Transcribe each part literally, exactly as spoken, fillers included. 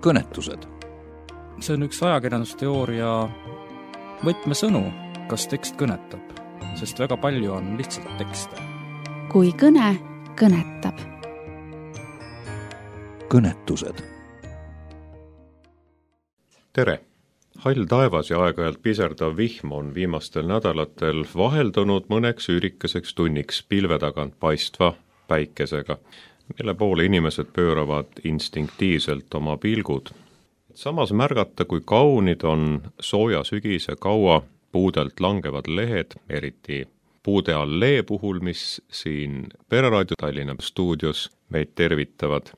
kõnetused. See on üks ajakirjandusteooria võtmesõnu, kas tekst kõnetab, sest väga palju on lihtsalt tekste. Kui kõne kõnetab. Kõnetused. Tere! Hall taevas ja aeg-ajalt piserdav vihm on viimastel nädalatel vaheldunud mõneks üürikeseks tunniks pilve tagant paistva päikesega, mille poole inimesed pööravad instinktiivselt oma pilgud. Samas märgata, kui kaunid on sooja sügise kaua puudelt langevad lehed, eriti puude allee puhul, mis siin Pereraadio Tallinna stuudios meid tervitavad,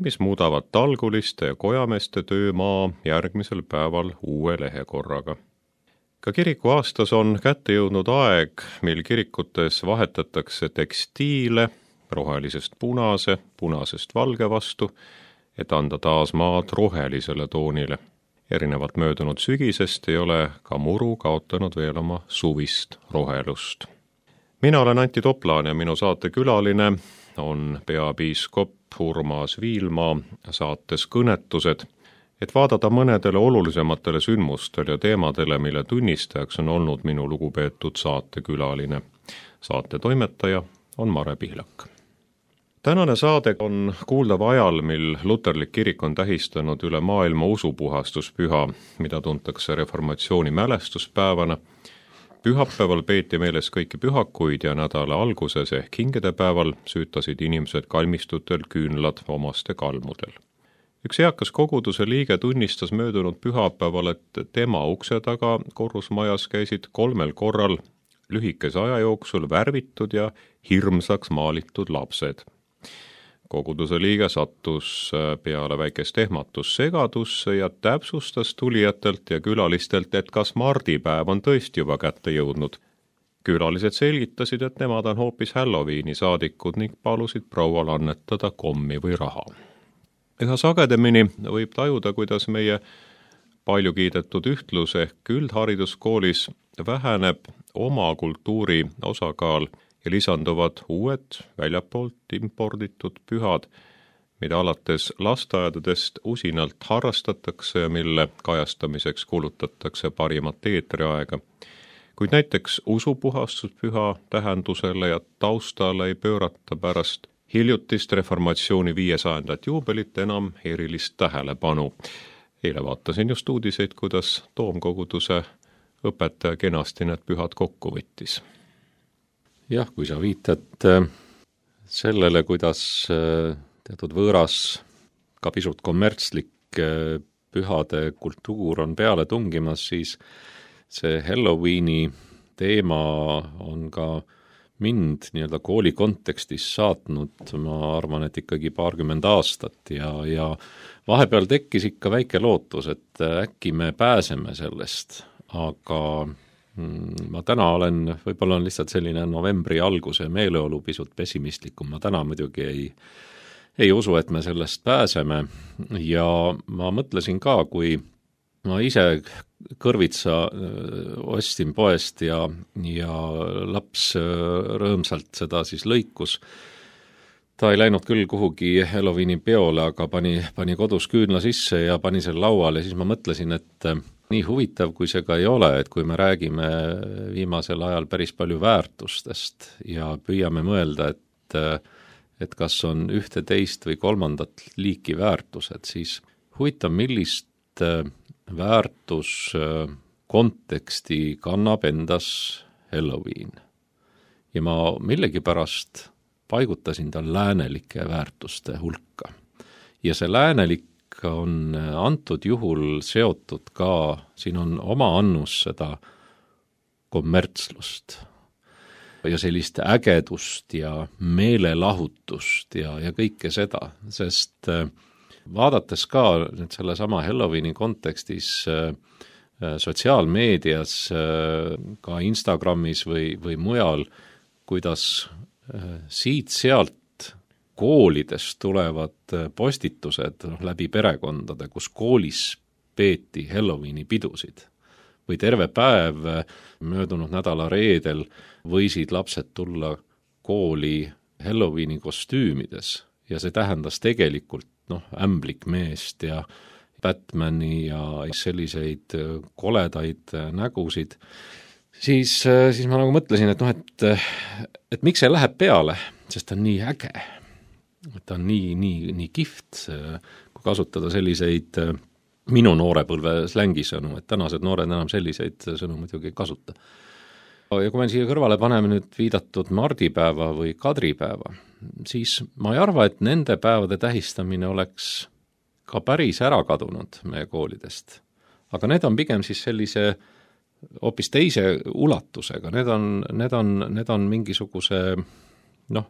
mis muudavad talguliste ja kojameeste töömaa järgmisel päeval uue lehekorraga. Ka kiriku aastas on kätte jõudnud aeg, mil kirikutes vahetatakse tekstiile rohelisest punase, punasest valge vastu, et anda taas maad rohelisele toonile. Erinevalt möödunud sügisest ei ole ka muru kaotanud veel oma suvist rohelust. Mina olen Antti Toplaan ja minu saate külaline on peapiiskop Urmas Viilmaa saates Kõnetused, et vaadata mõnedele olulisematele sündmustele ja teemadele, mille tunnistajaks on olnud minu lugupeetud saatekülaline. Saate toimetaja on Mare Pihlak. Tänane saade on kuuldav ajal, mil luterlik kirik on tähistanud üle maailma usupuhastuspüha, mida tuntakse reformatsiooni mälestuspäevana. Pühapäeval peeti meeles kõiki pühakuid ja nädala alguses ehk hingedepäeval süütasid inimesed kalmistutel küünlad omaste kalmudel. Üks eakas koguduse liige tunnistas möödunud pühapäeval, et tema ukse taga korrusmajas käisid kolmel korral lühikese aja jooksul värvitud ja hirmsaks maalitud lapsed. Koguduse liige sattus peale väikest ehmatus segadusse ja täpsustas tulijatelt ja külalistelt, et kas mardipäev on tõesti juba kätte jõudnud. Külalised selgitasid, et nemad on hoopis Halloweeni saadikud ning palusid proual annetada kommi või raha. Üha sagedamini võib tajuda, kuidas meie palju kiidetud ühtlus ehk üldhariduskoolis väheneb oma kultuuri osakaal ja lisanduvad uued väljapoolt imporditud pühad, mida alates lasteaedadest usinalt harrastatakse ja mille kajastamiseks kulutatakse parimat eetriaega. Kuid näiteks usupuhastuspüha tähendusele ja taustale ei pöörata pärast hiljutist reformatsiooni viiesajandat juubelit enam erilist tähelepanu. Eile vaatasin just uudiseid, kuidas toomkoguduse õpetaja kenasti need pühad kokku võttis. Jah, kui sa viitad sellele, kuidas teatud võõras, ka pisut kommertslik pühade kultuur on peale tungimas, siis see Halloweeni teema on ka mind nii-öelda kooli kontekstis saatnud, ma arvan, et ikkagi paarkümmend aastat ja, ja vahepeal tekkis ikka väike lootus, et äkki me pääseme sellest, aga ma täna olen, võib-olla on lihtsalt selline novembri alguse meeleolu pisut pessimistlikum, ma täna muidugi ei, ei usu, et me sellest pääseme ja ma mõtlesin ka, kui ma ise kõrvitsa ostsin poest ja, ja laps rõõmsalt seda siis lõikus. Ta ei läinud küll kuhugi Halloweeni peole, aga pani, pani kodus küünla sisse ja pani selle lauale ja siis ma mõtlesin, et nii huvitav, kui see ka ei ole, et kui me räägime viimasel ajal päris palju väärtustest ja püüame mõelda, et, et kas on ühte, teist või kolmandat liiki väärtused, siis huvitav, millist väärtus konteksti kannab endas Halloween. Ja ma millegipärast paigutasin ta läänelike väärtuste hulka. Ja see läänelik on antud juhul seotud ka, siin on oma annus seda kommertslust ja sellist ägedust ja meelelahutust ja, ja kõike seda, sest vaadates ka nüüd selle sama Halloweeni kontekstis sotsiaalmeedias, ka Instagramis või, või mujal, kuidas siit-sealt koolidest tulevad postitused läbi perekondade, kus koolis peeti Halloweeni pidusid. Või terve päev möödunud nädala reedel võisid lapsed tulla kooli Halloweeni kostüümides ja see tähendas tegelikult noh, ämblikmeest ja Batmani ja selliseid koledaid nägusid, siis, siis ma nagu mõtlesin, et noh, et, et miks see läheb peale, sest ta on nii äge, ta on nii, nii, nii kihvt, kui kasutada selliseid minu noorepõlve slängisõnu, et tänased noored enam selliseid sõnu muidugi ei kasuta. Ja kui me siia kõrvale paneme nüüd viidatud mardipäeva või kadripäeva, siis ma ei arva, et nende päevade tähistamine oleks ka päris ära kadunud meie koolidest. Aga need on pigem siis sellise hoopis teise ulatusega, need on, need on, need on mingisuguse noh,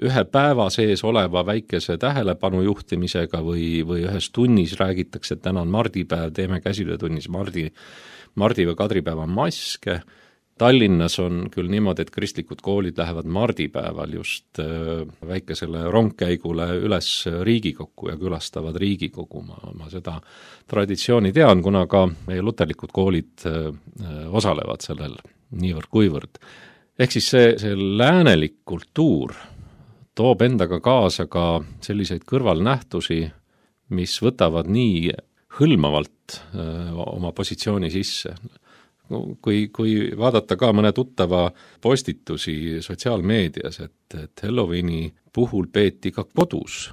ühe päeva sees oleva väikese tähelepanu juhtimisega või, või ühes tunnis räägitakse, et täna on mardipäev, teeme käsitöötunnis mardi, mardi või kadripäeva maske. Tallinnas on küll niimoodi, et kristlikud koolid lähevad mardipäeval just väikesele rongkäigule üles Riigikokku ja külastavad Riigikogu. Ma, ma seda traditsiooni tean, kuna ka meie luterlikud koolid osalevad sellel niivõrd kuivõrd. Ehk siis see, see läänelik kultuur toob endaga kaasa ka selliseid kõrvalnähtusi, mis võtavad nii hõlmavalt oma positsiooni sisse. Kui, kui vaadata ka mõne tuttava postitusi sotsiaalmeedias, et, et Halloweeni puhul peeti ka kodus,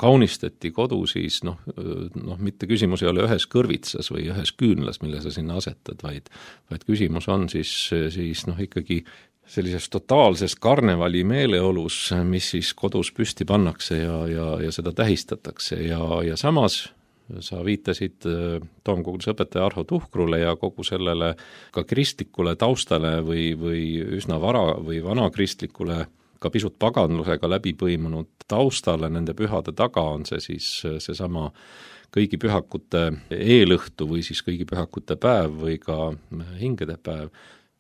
kaunistati kodu, siis noh, noh, mitte küsimus ei ole ühes kõrvitsas või ühes küünlas, mille sa sinna asetad, vaid, vaid küsimus on siis, siis noh, ikkagi sellises totaalses karnevali meeleolus, mis siis kodus püsti pannakse ja, ja, ja seda tähistatakse ja, ja samas sa viitasid Toomkoguduse õpetaja Arho Tuhkrule ja kogu sellele ka kristlikule taustale või, või üsna vara või vanakristlikule ka pisut paganlusega läbi põimunud taustale nende pühade taga on see siis seesama kõigi pühakute eelõhtu või siis kõigi pühakute päev või ka hingede päev,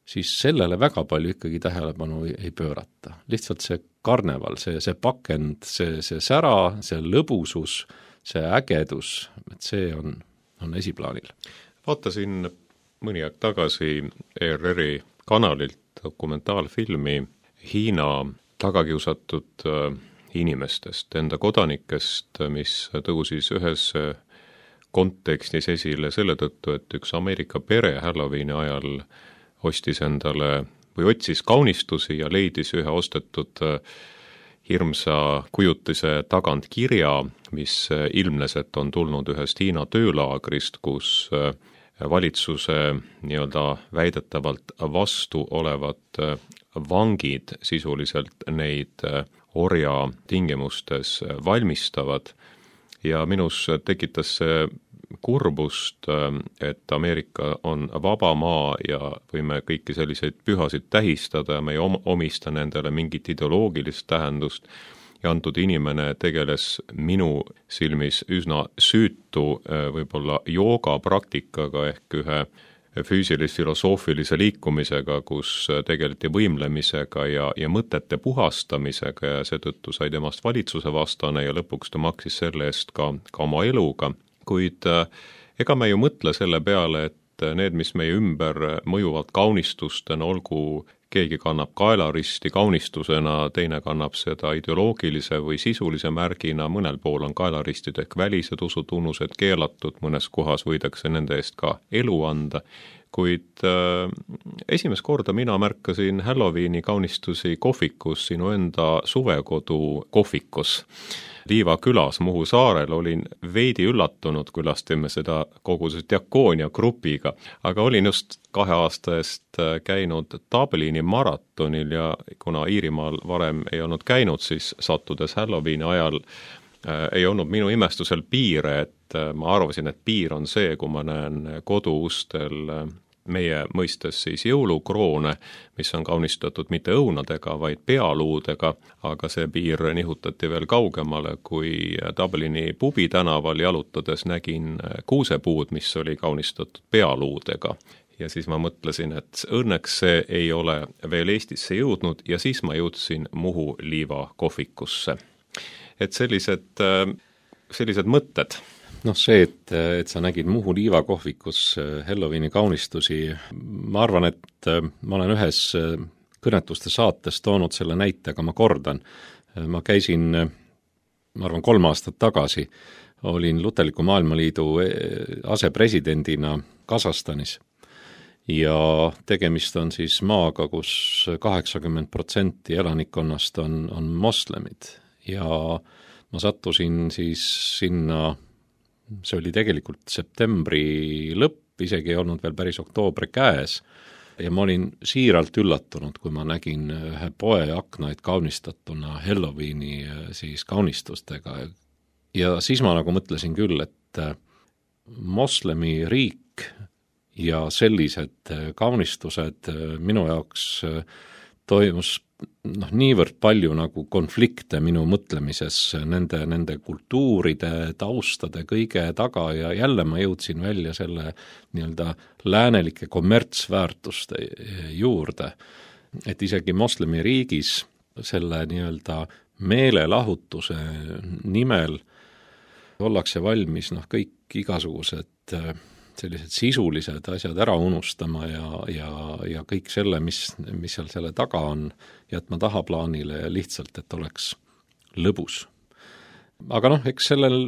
siis sellele väga palju ikkagi tähelepanu ei, ei pöörata. Lihtsalt see karneval, see, see pakend, see, see sära, see lõbusus, see ägedus, et see on, on esiplaanil. Vaatasin mõni aeg tagasi E R R-i kanalilt dokumentaalfilmi Hiina tagakiusatud inimestest, enda kodanikest, mis tõusis ühes kontekstis esile selle tõttu, et üks Ameerika pere Halloweeni ajal ostis endale või otsis kaunistusi ja leidis ühe ostetud hirmsa kujutise tagant kirja, mis ilmnes, et on tulnud ühest Hiina töölaagrist, kus valitsuse nii-öelda väidetavalt vastu olevad vangid sisuliselt neid orja tingimustes valmistavad ja minus tekitas see kurbust, et Ameerika on vaba maa ja võime kõiki selliseid pühasid tähistada ja me ei omista nendele mingit ideoloogilist tähendust ja antud inimene tegeles minu silmis üsna süütu võib-olla jooga praktikaga ehk ühe füüsilis-filosoofilise liikumisega, kus tegeleti võimlemisega ja, ja mõtete puhastamisega ja seetõttu sai temast valitsuse vastane ja lõpuks ta maksis selle eest ka, ka oma eluga. Kuid ega me ju mõtle selle peale, et need, mis meie ümber mõjuvad kaunistustena, olgu keegi kannab kaelaristi kaunistusena, teine kannab seda ideoloogilise või sisulise märgina, mõnel pool on kaelaristid ehk välised usutunnused keelatud, mõnes kohas võidakse nende eest ka elu anda, kuid äh, esimest korda mina märkasin Halloweeni kaunistusi kohvikus, sinu enda suvekodu kohvikus. Liiva külas Muhu saarel olin veidi üllatunud, külastasime seda kogu see diakoonia grupiga, aga olin just kahe aasta eest käinud Dublini maratonil ja kuna Iirimaal varem ei olnud käinud, siis sattudes Halloweeni ajal äh, ei olnud minu imestusel piire, et äh, ma arvasin, et piir on see, kui ma näen koduustel äh, meie mõistes siis jõulukroone, mis on kaunistatud mitte õunadega, vaid pealuudega, aga see piir nihutati veel kaugemale, kui Dublini pubi tänaval jalutades nägin kuusepuud, mis oli kaunistatud pealuudega. Ja siis ma mõtlesin, et õnneks see ei ole veel Eestisse jõudnud ja siis ma jõudsin Muhu liiva kohvikusse. Et sellised, sellised mõtted. Noh, see, et, et sa nägid Muhu liiva kohvikus Halloweeni kaunistusi, ma arvan, et ma olen ühes kõnetuste saates toonud selle näite, aga ma kordan. Ma käisin, ma arvan, kolm aastat tagasi olin Luterliku Maailmaliidu asepresidendina Kasahstanis ja tegemist on siis maaga, kus kaheksakümmend protsenti elanikkonnast on, on moslemid ja ma sattusin siis sinna, see oli tegelikult septembri lõpp, isegi ei olnud veel päris oktoobri käes ja ma olin siiralt üllatunud, kui ma nägin ühe poe aknaid kaunistatuna Halloweeni siis kaunistustega ja siis ma nagu mõtlesin küll, et moslemi riik ja sellised kaunistused minu jaoks toimus noh, niivõrd palju nagu konflikte minu mõtlemises nende, nende kultuuride, taustade kõige taga ja jälle ma jõudsin välja selle nii-öelda läänelike kommertsväärtuste juurde, et isegi moslemi riigis selle nii-öelda meelelahutuse nimel ollakse valmis noh, kõik igasugused sellised sisulised asjad ära unustama ja, ja, ja kõik selle, mis, mis seal selle taga on, jätma tahaplaanile ja lihtsalt, et oleks lõbus. Aga noh, eks sellel,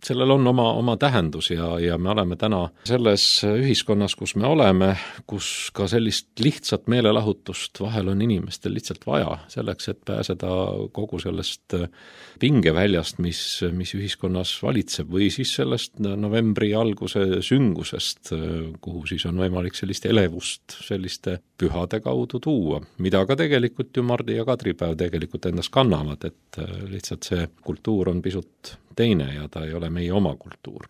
sellel on oma, oma tähendus ja, ja me oleme täna selles ühiskonnas, kus me oleme, kus ka sellist lihtsat meelelahutust vahel on inimestel lihtsalt vaja, selleks, et pääseda kogu sellest pingeväljast, mis, mis ühiskonnas valitseb või siis sellest novembri alguse süngusest, kuhu siis on võimalik sellist elevust selliste pühade kaudu tuua, mida ka tegelikult ju Mardi ja Kadripäev tegelikult endas kannavad, et lihtsalt see kultuur on pisut teine ja ta ei ole meie oma kultuur.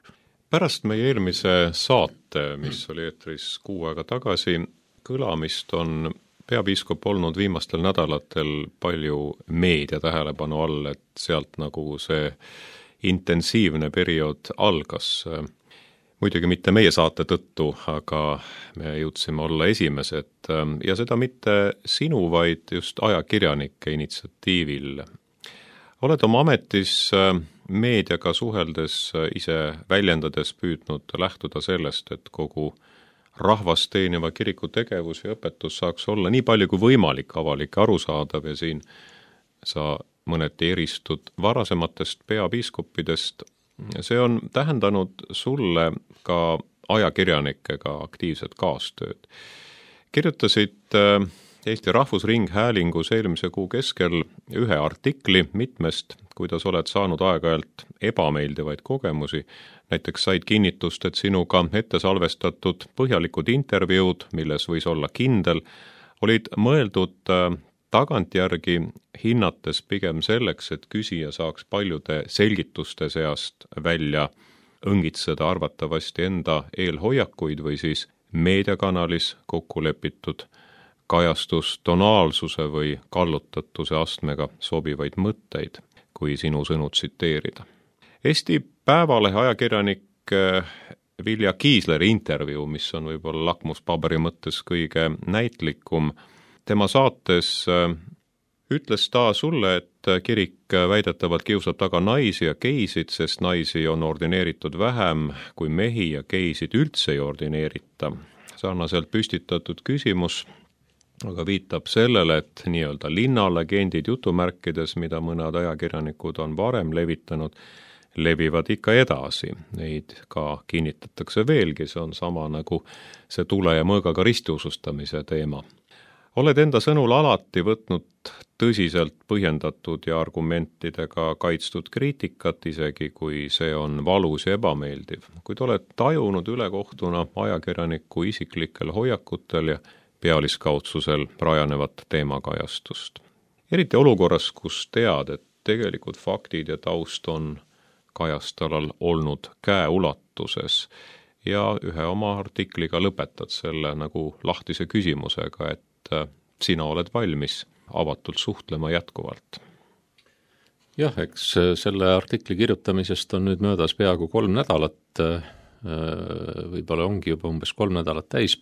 Pärast meie eelmise saate, mis oli eetris kuu aega tagasi, kõlamist on peapiiskop olnud viimastel nädalatel palju meedia tähelepanu all, et sealt nagu see intensiivne periood algas. Muidugi mitte meie saate tõttu, aga me jõudsime olla esimesed ja seda mitte sinu, vaid just ajakirjanike initsiatiivil. Oled oma ametis meediaga suheldes ise väljendades püüdnud lähtuda sellest, et kogu rahvast teeniva kiriku tegevus ja õpetus saaks olla nii palju kui võimalik avalik arusaadav ja siin sa mõneti eristud varasematest peapiiskoppidest. See on tähendanud sulle ka ajakirjanikega aktiivset kaastööd. Kirjutasid Eesti Rahvusringhäälingus eelmise kuu keskel ühe artikli mitmest, kuidas oled saanud aeg-ajalt ebameeldivaid kogemusi. Näiteks said kinnitust, et sinuga ette salvestatud põhjalikud intervjuud, milles võis olla kindel, olid mõeldud tagantjärgi hinnates pigem selleks, et küsija saaks paljude selgituste seast välja õngitseda arvatavasti enda eelhoiakuid või siis meediakanalis kokku lepitud kajastus tonaalsuse või kallutatuse astmega sobivaid mõtteid, kui sinu sõnu tsiteerida. Eesti Päevalehe ajakirjanik Vilja Kiisleri intervjuu, mis on võib-olla lakmuspaberi mõttes kõige näitlikum, tema saates ütles ta sulle, et kirik väidetavalt kiusab taga naisi ja geisid, sest naisi on ordineeritud vähem kui mehi ja geisid üldse ei ordineerita. Sarnaselt püstitatud küsimus aga viitab sellele, et nii-öelda linnalegendid jutumärkides, mida mõned ajakirjanikud on varem levitanud, levivad ikka edasi. Neid ka kinnitatakse veelgi, see on sama nagu see tule ja mõõgaga ristiusustamise teema. Oled enda sõnul alati võtnud tõsiselt põhjendatud ja argumentidega kaitstud kriitikat, isegi kui see on valus ja ebameeldiv. Kuid oled tajunud ülekohtuna ajakirjaniku isiklikel hoiakutel ja pealiskaudsusel rajanevat teemakajastust. Eriti olukorras, kus tead, et tegelikult faktid ja taust on kajastalal olnud käeulatuses ja ühe oma artikliga lõpetad selle nagu lahtise küsimusega, et sina oled valmis avatult suhtlema jätkuvalt. Jah, eks selle artikli kirjutamisest on nüüd möödas peaaegu kolm nädalat, võib-olla ongi juba umbes kolm nädalat täis.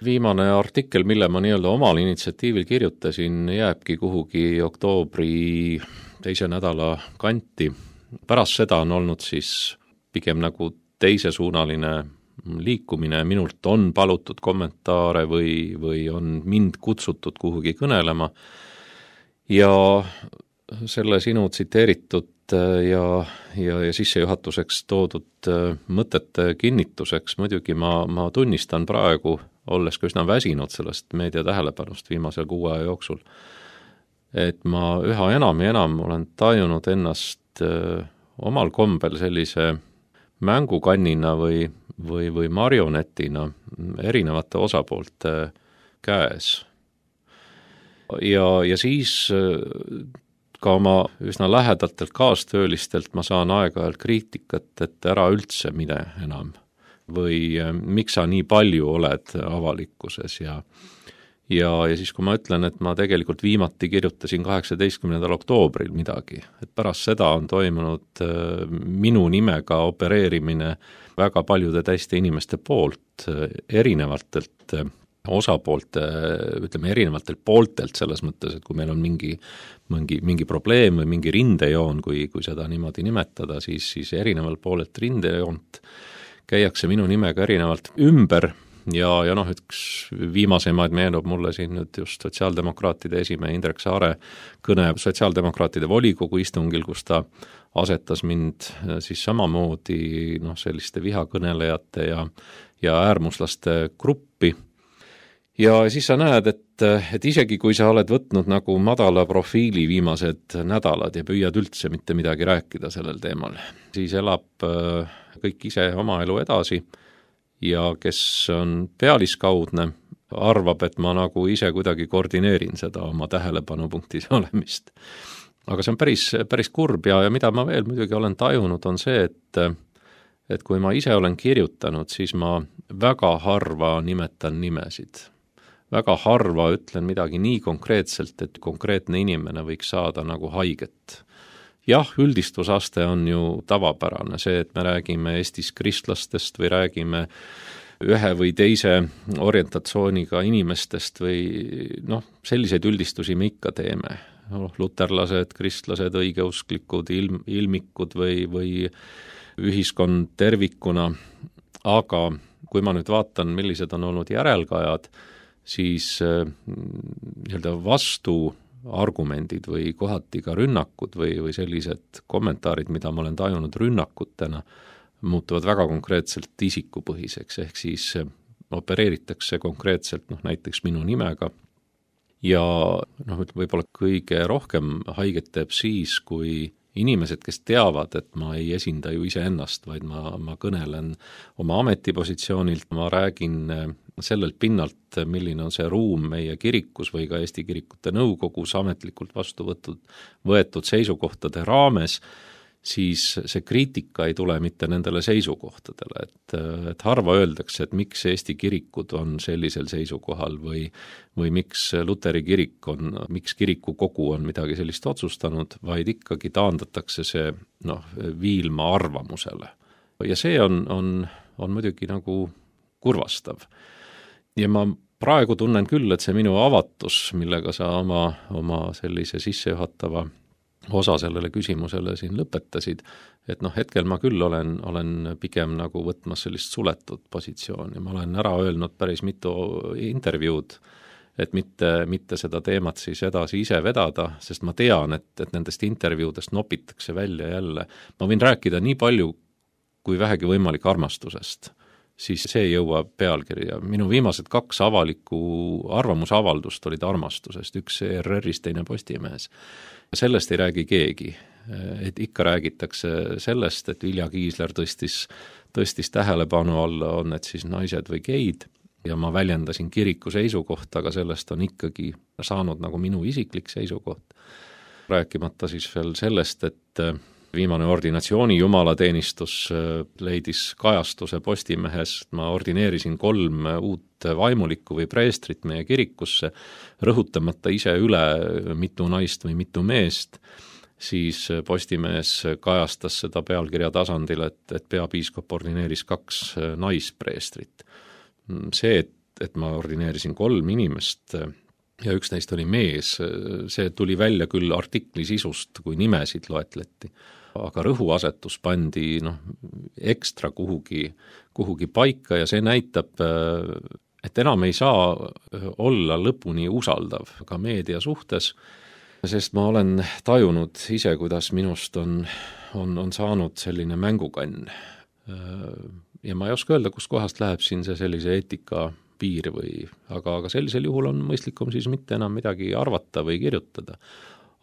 Viimane artikkel, mille ma nii-öelda omal initsiatiivil kirjutasin, jääbki kuhugi oktoobri teise nädala kanti. Pärast seda on olnud siis pigem nagu teisesuunaline liikumine, minult on palutud kommentaare või, või on mind kutsutud kuhugi kõnelema ja selle sinu tsiteeritud ja, ja, ja sissejuhatuseks toodud mõtete kinnituseks muidugi ma, ma tunnistan praegu, olles ka üsna väsinud sellest meedia tähelepanust viimasel kuu aja jooksul, et ma üha enam ja enam olen tajunud ennast öö, omal kombel sellise mängukannina või, või, või marionetina erinevate osapoolte käes. Ja, ja siis ka oma üsna lähedatelt kaastöölistelt ma saan aeg-ajalt kriitikat, et ära üldse mine enam või miks sa nii palju oled avalikkuses ja Ja, ja siis, kui ma ütlen, et ma tegelikult viimati kirjutasin kaheksateistkümnendal oktoobril midagi, et pärast seda on toimunud minu nimega opereerimine väga paljude teiste inimeste poolt, erinevatelt osapoolte, ütleme erinevatelt pooltelt selles mõttes, et kui meil on mingi, mingi, mingi probleem või mingi rindejoon, kui, kui seda niimoodi nimetada, siis, siis erineval poolelt rindejoont käiakse minu nimega erinevalt ümber. Ja, ja noh, üks viimasemaid meenub mulle siin nüüd just sotsiaaldemokraatide esimehe Indrek Saare kõne sotsiaaldemokraatide volikogu istungil, kus ta asetas mind siis samamoodi noh, selliste vihakõnelejate ja, ja äärmuslaste gruppi. Ja siis sa näed, et, et isegi kui sa oled võtnud nagu madala profiili viimased nädalad ja püüad üldse mitte midagi rääkida sellel teemal, siis elab kõik ise oma elu edasi. Ja kes on pealiskaudne, arvab, et ma nagu ise kuidagi koordineerin seda oma tähelepanupunktis olemist. Aga see on päris, päris kurb ja, ja mida ma veel muidugi olen tajunud, on see, et, et kui ma ise olen kirjutanud, siis ma väga harva nimetan nimesid. Väga harva ütlen midagi nii konkreetselt, et konkreetne inimene võiks saada nagu haiget. Jah, üldistusaste on ju tavapärane, see, et me räägime Eestis kristlastest või räägime ühe või teise orientatsiooniga inimestest või noh, selliseid üldistusi me ikka teeme. No, luterlased, kristlased, õigeusklikud, ilm, ilmikud või, või ühiskond tervikuna, aga kui ma nüüd vaatan, millised on olnud järelkajad, siis nii-öelda vastu argumendid või kohati ka rünnakud või, või sellised kommentaarid, mida ma olen tajunud rünnakutena, muutuvad väga konkreetselt isikupõhiseks, ehk siis opereeritakse konkreetselt noh, näiteks minu nimega ja noh, võib-olla kõige rohkem haiget teeb siis, kui inimesed, kes teavad, et ma ei esinda ju iseennast, vaid ma, ma kõnelen oma ametipositsioonilt, ma räägin sellelt pinnalt, milline on see ruum meie kirikus või ka Eesti Kirikute Nõukogus ametlikult vastu võtud, võetud seisukohtade raames, siis see kriitika ei tule mitte nendele seisukohtadele, et, et harva öeldakse, et miks Eesti kirikud on sellisel seisukohal või, või miks Luteri kirik on, miks kirikukogu on midagi sellist otsustanud, vaid ikkagi taandatakse see noh, viilma arvamusele. Ja see on, on, on muidugi nagu kurvastav. Ja ma praegu tunnen küll, et see minu avatus, millega sa oma, oma sellise sissejuhatava osa sellele küsimusele siin lõpetasid, et noh, hetkel ma küll olen, olen pigem nagu võtmas sellist suletud positsiooni. Ma olen ära öelnud päris mitu intervjuud, et mitte, mitte seda teemat siis edasi ise vedada, sest ma tean, et, et nendest intervjuudest nopitakse välja jälle. Ma võin rääkida nii palju, kui vähegi võimalik armastusest, siis see jõuab pealkirja. Minu viimased kaks avalikku arvamusavaldust olid armastusest, üks E R R-is, teine Postimehes. Sellest ei räägi keegi, et ikka räägitakse sellest, et Vilja Kiisler tõstis, tõstis tähelepanu alla, on need siis naised või geid, ja ma väljendasin kiriku seisukohta, aga sellest on ikkagi saanud nagu minu isiklik seisukoht. Rääkimata siis veel sellest, et viimane ordinatsiooni jumalateenistus leidis kajastuse Postimehes, ma ordineerisin kolm uut vaimulikku või preestrit meie kirikusse, rõhutamata ise üle mitu naist või mitu meest, siis Postimehes kajastas seda pealkirja tasandil, et, et peapiiskop ordineeris kaks naispreestrit. See, et, et ma ordineerisin kolm inimest ja üks neist oli mees, see tuli välja küll artikli sisust, kui nimesid loetleti, aga rõhuasetus pandi noh, ekstra kuhugi, kuhugi paika ja see näitab, et enam ei saa olla lõpuni usaldav ka meedia suhtes, sest ma olen tajunud ise, kuidas minust on, on, on saanud selline mängukann. Ja ma ei oska öelda, kus kohast läheb siin see sellise eetika piir või, aga, aga sellisel juhul on mõistlikum siis mitte enam midagi arvata või kirjutada.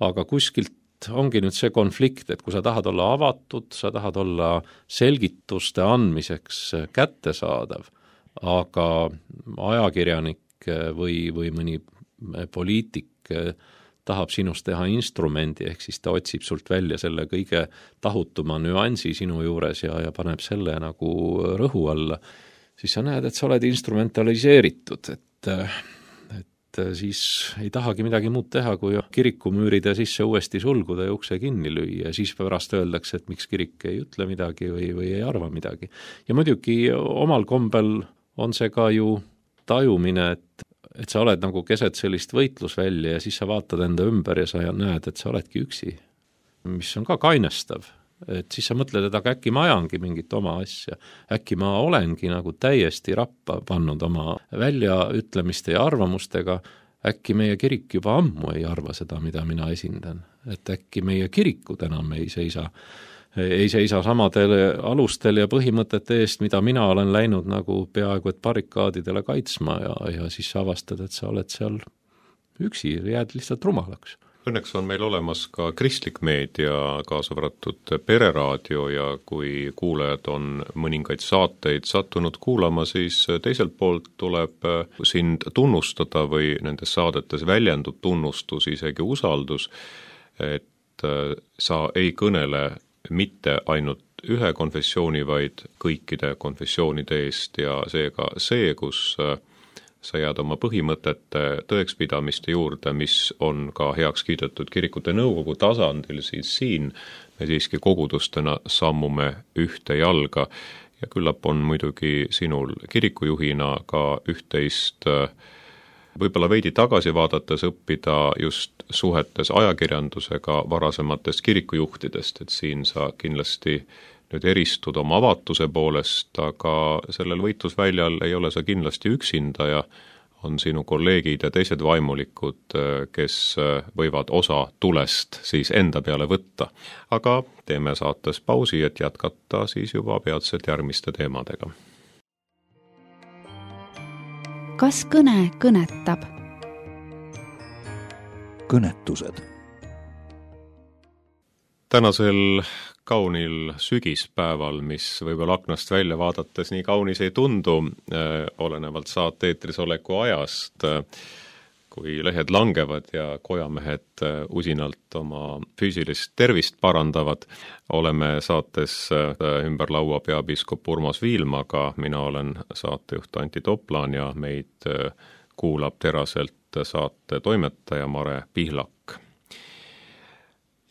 Aga kuskilt ongi nüüd see konflikt, et kui sa tahad olla avatud, sa tahad olla selgituste andmiseks kättesaadav, aga ajakirjanik või, või mõni poliitik tahab sinust teha instrumendi, ehk siis ta otsib sult välja selle kõige tahutuma nüansi sinu juures ja, ja paneb selle nagu rõhu alla, siis sa näed, et sa oled instrumentaliseeritud, et, et siis ei tahagi midagi muud teha, kui kirikumüüride sisse uuesti sulguda ja ukse kinni lüüa ja siis pärast öeldakse, et miks kirik ei ütle midagi või, või ei arva midagi. Ja muidugi omal kombel on see ka ju tajumine, et et sa oled nagu keset sellist võitlusvälja ja siis sa vaatad enda ümber ja sa näed, et sa oledki üksi, mis on ka kainestav. Et siis sa mõtled, et aga äkki ma ajangi mingit oma asja, äkki ma olengi nagu täiesti rappa pannud oma väljaütlemiste ja arvamustega, äkki meie kirik juba ammu ei arva seda, mida mina esindan, et äkki meie kirikud enam ei seisa ei seisa samadel alustel ja põhimõtete eest, mida mina olen läinud nagu peaaegu et barrikaadidele kaitsma ja, ja siis sa avastad, et sa oled seal üksi, jääd lihtsalt rumalaks. Õnneks on meil olemas ka kristlik meedia, kaasa arvatud Pereraadio ja kui kuulajad on mõningaid saateid sattunud kuulama, siis teiselt poolt tuleb sind tunnustada või nendes saadetes väljendub tunnustus, isegi usaldus, et sa ei kõnele mitte ainult ühe konfessiooni, vaid kõikide konfessioonide eest ja seega see, kus sa jääd oma põhimõtete tõekspidamiste juurde, mis on ka heaks kiidetud kirikute nõukogu tasandil, siis siin me siiski kogudustena sammume ühte jalga ja küllap on muidugi sinul kirikujuhina ka üht-teist võib-olla veidi tagasi vaadates õppida just suhetes ajakirjandusega varasematest kirikujuhtidest, et siin sa kindlasti nüüd eristud oma avatuse poolest, aga sellel võitlusväljal ei ole sa kindlasti üksinda ja on sinu kolleegid ja teised vaimulikud, kes võivad osa tulest siis enda peale võtta. Aga teeme saates pausi, et jätkata siis juba peatselt järgmiste teemadega. Kas kõne kõnetab? Kõnetused. Tänasel kaunil sügispäeval, mis võib-olla aknast välja vaadates nii kaunis ei tundu, äh, olenevalt saate eetris oleku ajast, äh, kui lehed langevad ja kojamehed äh, usinalt oma füüsilist tervist parandavad, oleme saates äh, ümber laua peapiiskop Urmas Viilmaga, mina olen saatejuht Anti Toplan ja meid äh, kuulab teraselt saate toimetaja Mare Pihlak.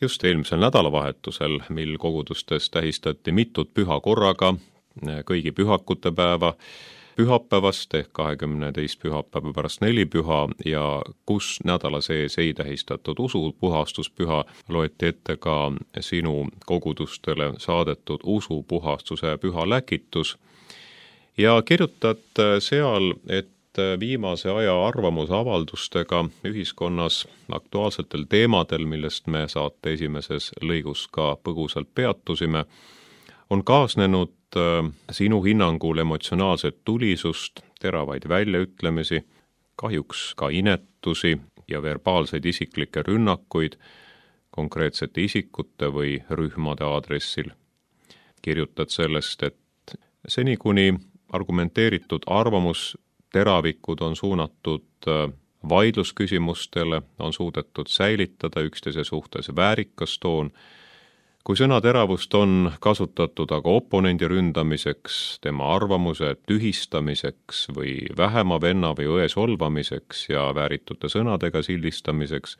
Just eelmisel nädalavahetusel, mil kogudustes tähistati mitut püha korraga, kõigi pühakute päeva, pühapäevast ehk kahekümne teist pühapäeva pärast nelipüha ja kus nädala sees ei tähistatud usupuhastuspüha, loeti ette ka sinu kogudustele saadetud usupuhastuse püha läkitus ja kirjutad seal, et viimase aja arvamusavaldustega ühiskonnas aktuaalsetel teemadel, millest me saate esimeses lõigus ka põgusalt peatusime, on kaasnenud sinu hinnangul emotsionaalset tulisust, teravaid väljaütlemisi, kahjuks ka inetusi ja verbaalseid isiklikke rünnakuid konkreetsete isikute või rühmade aadressil. Kirjutad sellest, et seni kuni argumenteeritud arvamus teravikud on suunatud vaidlusküsimustele, on suudetud säilitada üksteise suhtes väärikas toon. Kui sõnateravust on kasutatud aga oponendi ründamiseks, tema arvamuse tühistamiseks või vähema venna või õe solvamiseks ja vääritute sõnadega sildistamiseks,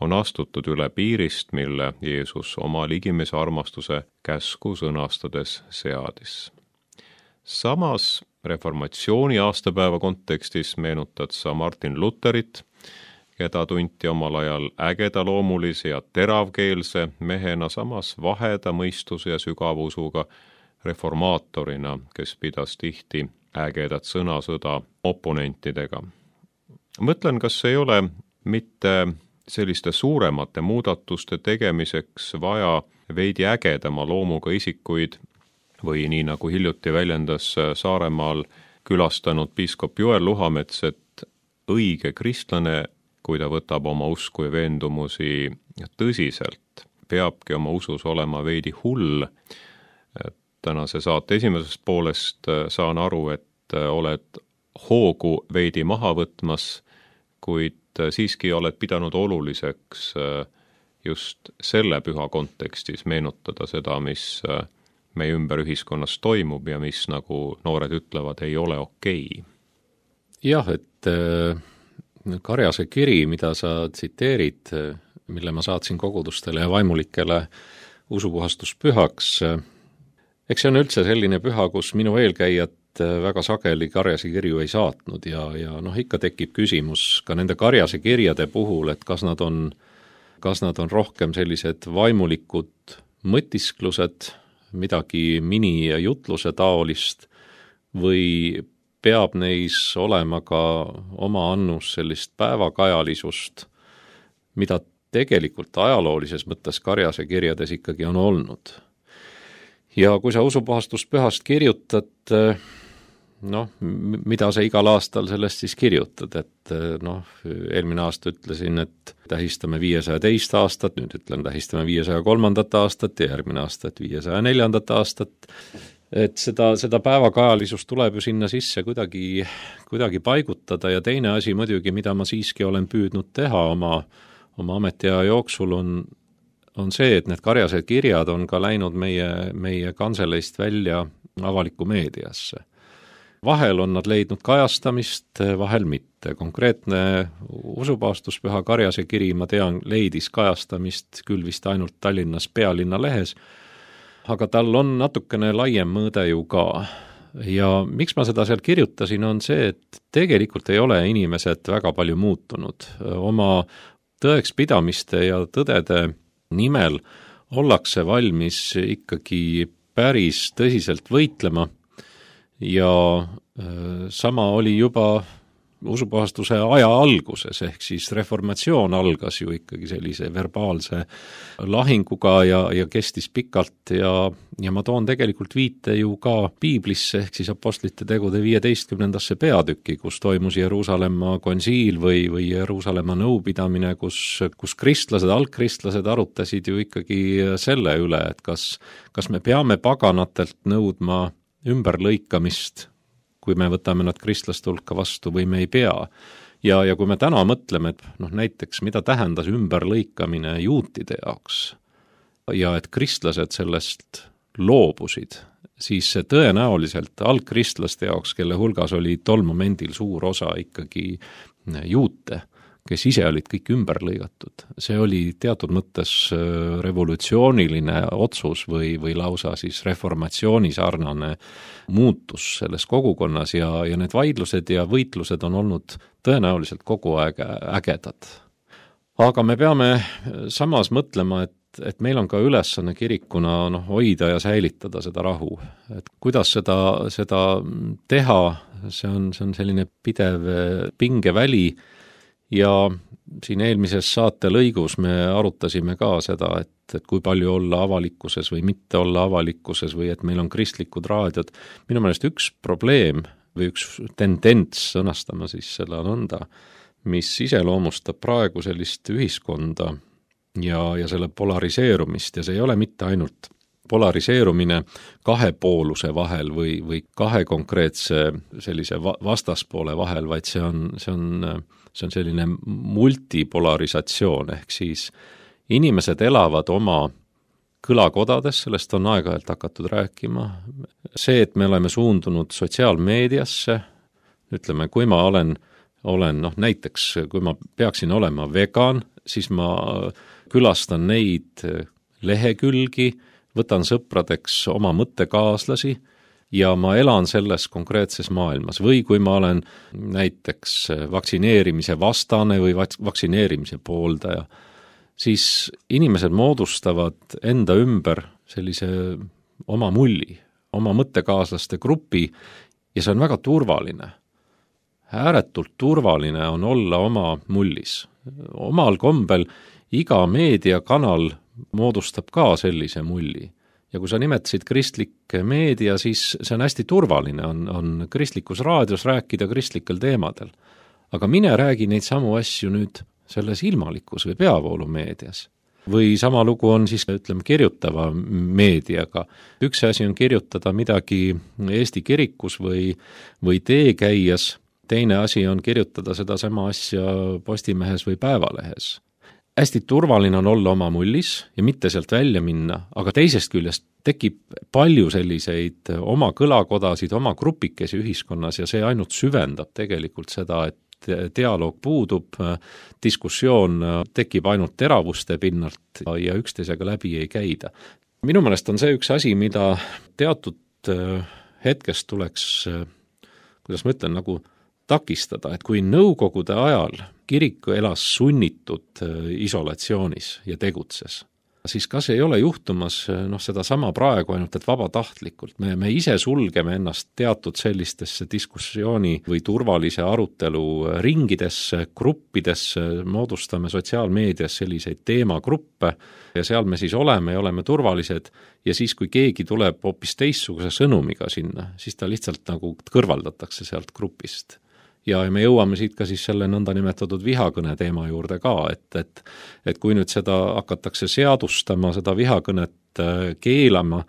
on astutud üle piirist, mille Jeesus oma ligimese armastuse käsku sõnastades seadis. Samas reformatsiooni aastapäeva kontekstis meenutad sa Martin Lutherit, keda tunti omal ajal ägeda loomulise ja teravkeelse mehena, samas vaheda mõistuse ja sügavusuga reformaatorina, kes pidas tihti ägedat sõnasõda oponentidega. Mõtlen, kas ei ole mitte selliste suuremate muudatuste tegemiseks vaja veidi ägedama loomuga isikuid või nii nagu hiljuti väljendas Saaremaal külastanud piiskop Joel Luhamets, et õige kristlane, kui ta võtab oma usku ja veendumusi tõsiselt, peabki oma usus olema veidi hull. Tänase saate esimesest poolest saan aru, et oled hoogu veidi maha võtmas, kuid siiski oled pidanud oluliseks just selle püha kontekstis meenutada seda, mis meie ümber ühiskonnas toimub ja mis, nagu noored ütlevad, ei ole okei. Jah, et Karjase kiri, mida sa tsiteerid, mille ma saatsin kogudustele ja vaimulikele usupuhastuspühaks, eks see on üldse selline püha, kus minu eelkäijad väga sageli Karjase kirju ei saatnud ja, ja noh, ikka tekib küsimus ka nende Karjase kirjade puhul, et kas nad on, kas nad on rohkem sellised vaimulikud mõtisklused, midagi mini-jutluse taolist või peab neis olema ka oma annus sellist päevakajalisust, mida tegelikult ajaloolises mõttes Karjase kirjades ikkagi on olnud. Ja kui sa usupuhastuspühast kirjutad, noh, mida sa igal aastal sellest siis kirjutad, et noh, eelmine aasta ütlesin, et tähistame viiesaja teist aastat, nüüd ütlen tähistame viiesaja kolmandat aastat ja järgmine aasta, et viiesaja neljandat aastat, et seda, seda päevakajalisust tuleb ju sinna sisse kuidagi, kuidagi paigutada ja teine asi muidugi, mida ma siiski olen püüdnud teha oma, oma ametiaja jooksul, on, on see, et need Karjase kirjad on ka läinud meie, meie kanseleist välja avalikku meediasse. Vahel on nad leidnud kajastamist, vahel mitte. Konkreetne usupuhastuspüha Karjase kiri, ma tean, leidis kajastamist küll vist ainult Tallinnas Pealinna lehes, aga tal on natukene laiem mõõde ju ka. Ja miks ma seda seal kirjutasin, on see, et tegelikult ei ole inimesed väga palju muutunud. Oma tõekspidamiste ja tõdede nimel ollakse valmis ikkagi päris tõsiselt võitlema. Ja sama oli juba usupuhastuse aja alguses, ehk siis reformatsioon algas ju ikkagi sellise verbaalse lahinguga ja, ja kestis pikalt ja, ja ma toon tegelikult viite ju ka piiblisse, ehk siis apostlite tegude viieteistkümnendasse peatükki, kus toimus Jeruusalemma konsiil või, või Jeruusalemma nõupidamine, kus, kus kristlased, algkristlased arutasid ju ikkagi selle üle, et kas, kas me peame paganatelt nõudma ümberlõikamist, kui me võtame nad kristlaste hulka vastu või me ei pea. Ja, ja kui me täna mõtleme, et noh, näiteks mida tähendas ümberlõikamine juutide jaoks ja et kristlased sellest loobusid, siis see tõenäoliselt algkristlaste jaoks, kelle hulgas oli tol momendil suur osa ikkagi juute, kes ise olid kõik ümber lõigatud. See oli teatud mõttes revolutsiooniline otsus või, või lausa siis reformatsiooni sarnane muutus selles kogukonnas ja, ja need vaidlused ja võitlused on olnud tõenäoliselt kogu aeg ägedad. Aga me peame samas mõtlema, et, et meil on ka ülesanne kirikuna noh, hoida ja säilitada seda rahu. Et kuidas seda, seda teha, see on, see on selline pidev pingeväli. Ja siin eelmises saate lõigus me arutasime ka seda, et, et kui palju olla avalikkuses või mitte olla avalikkuses või et meil on kristlikud raadiod. Minu meelest üks probleem või üks tendents, sõnastama siis selle nõnda, mis iseloomustab praegu sellist ühiskonda ja, ja selle polariseerumist ja see ei ole mitte ainult polariseerumine kahepooluse vahel või, või kahe konkreetse sellise vastaspoole vahel, vaid see on, see on, see on selline multipolarisatsioon, ehk siis inimesed elavad oma kõlakodades, sellest on aeg-ajalt hakatud rääkima. See, et me oleme suundunud sotsiaalmeediasse, ütleme, kui ma olen, olen noh, näiteks kui ma peaksin olema vegan, siis ma külastan neid lehekülgi, võtan sõpradeks oma mõttekaaslasi ja ma elan selles konkreetses maailmas. Või kui ma olen näiteks vaktsineerimise vastane või vaktsineerimise pooldaja, siis inimesed moodustavad enda ümber sellise oma mulli, oma mõttekaaslaste grupi ja see on väga turvaline. ääretult turvaline on olla oma mullis. Omal kombel iga meediakanal moodustab ka sellise mulli. Ja kui sa nimetasid kristlik meedia, siis see on hästi turvaline, on, on kristlikus raadios rääkida kristlikel teemadel. Aga mine räägi neid samu asju nüüd selles ilmalikus või peavoolumeedias. Või sama lugu on siis, ütleme, kirjutava meediaga. Üks asi on kirjutada midagi Eesti kirikus või, või teekäijas, teine asi on kirjutada seda sama asja Postimehes või Päevalehes. Hästi turvaline on olla oma mullis ja mitte sealt välja minna, aga teisest küljest tekib palju selliseid oma kõlakodasid, oma grupikesi ühiskonnas ja see ainult süvendab tegelikult seda, et dialoog puudub, diskussioon tekib ainult teravuste pinnalt ja üksteisega läbi ei käida. Minu meelest on see üks asi, mida teatud hetkest tuleks, kuidas ma ütlen, nagu takistada, et kui nõukogude ajal kirik elas sunnitud isolatsioonis ja tegutses, siis kas ei ole juhtumas noh, seda sama praegu ainult, et vabatahtlikult. Me, me ise sulgeme ennast teatud sellistesse diskussiooni või turvalise arutelu ringidesse, gruppidesse, moodustame sotsiaalmeedias selliseid teemagruppe ja seal me siis oleme ja oleme turvalised ja siis, kui keegi tuleb hoopis teistsuguse sõnumiga sinna, siis ta lihtsalt nagu kõrvaldatakse sealt grupist. Ja me jõuame siit ka siis selle nõnda nimetatud vihakõne teema juurde ka, et, et, et kui nüüd seda hakatakse seadustama, seda vihakõnet keelama,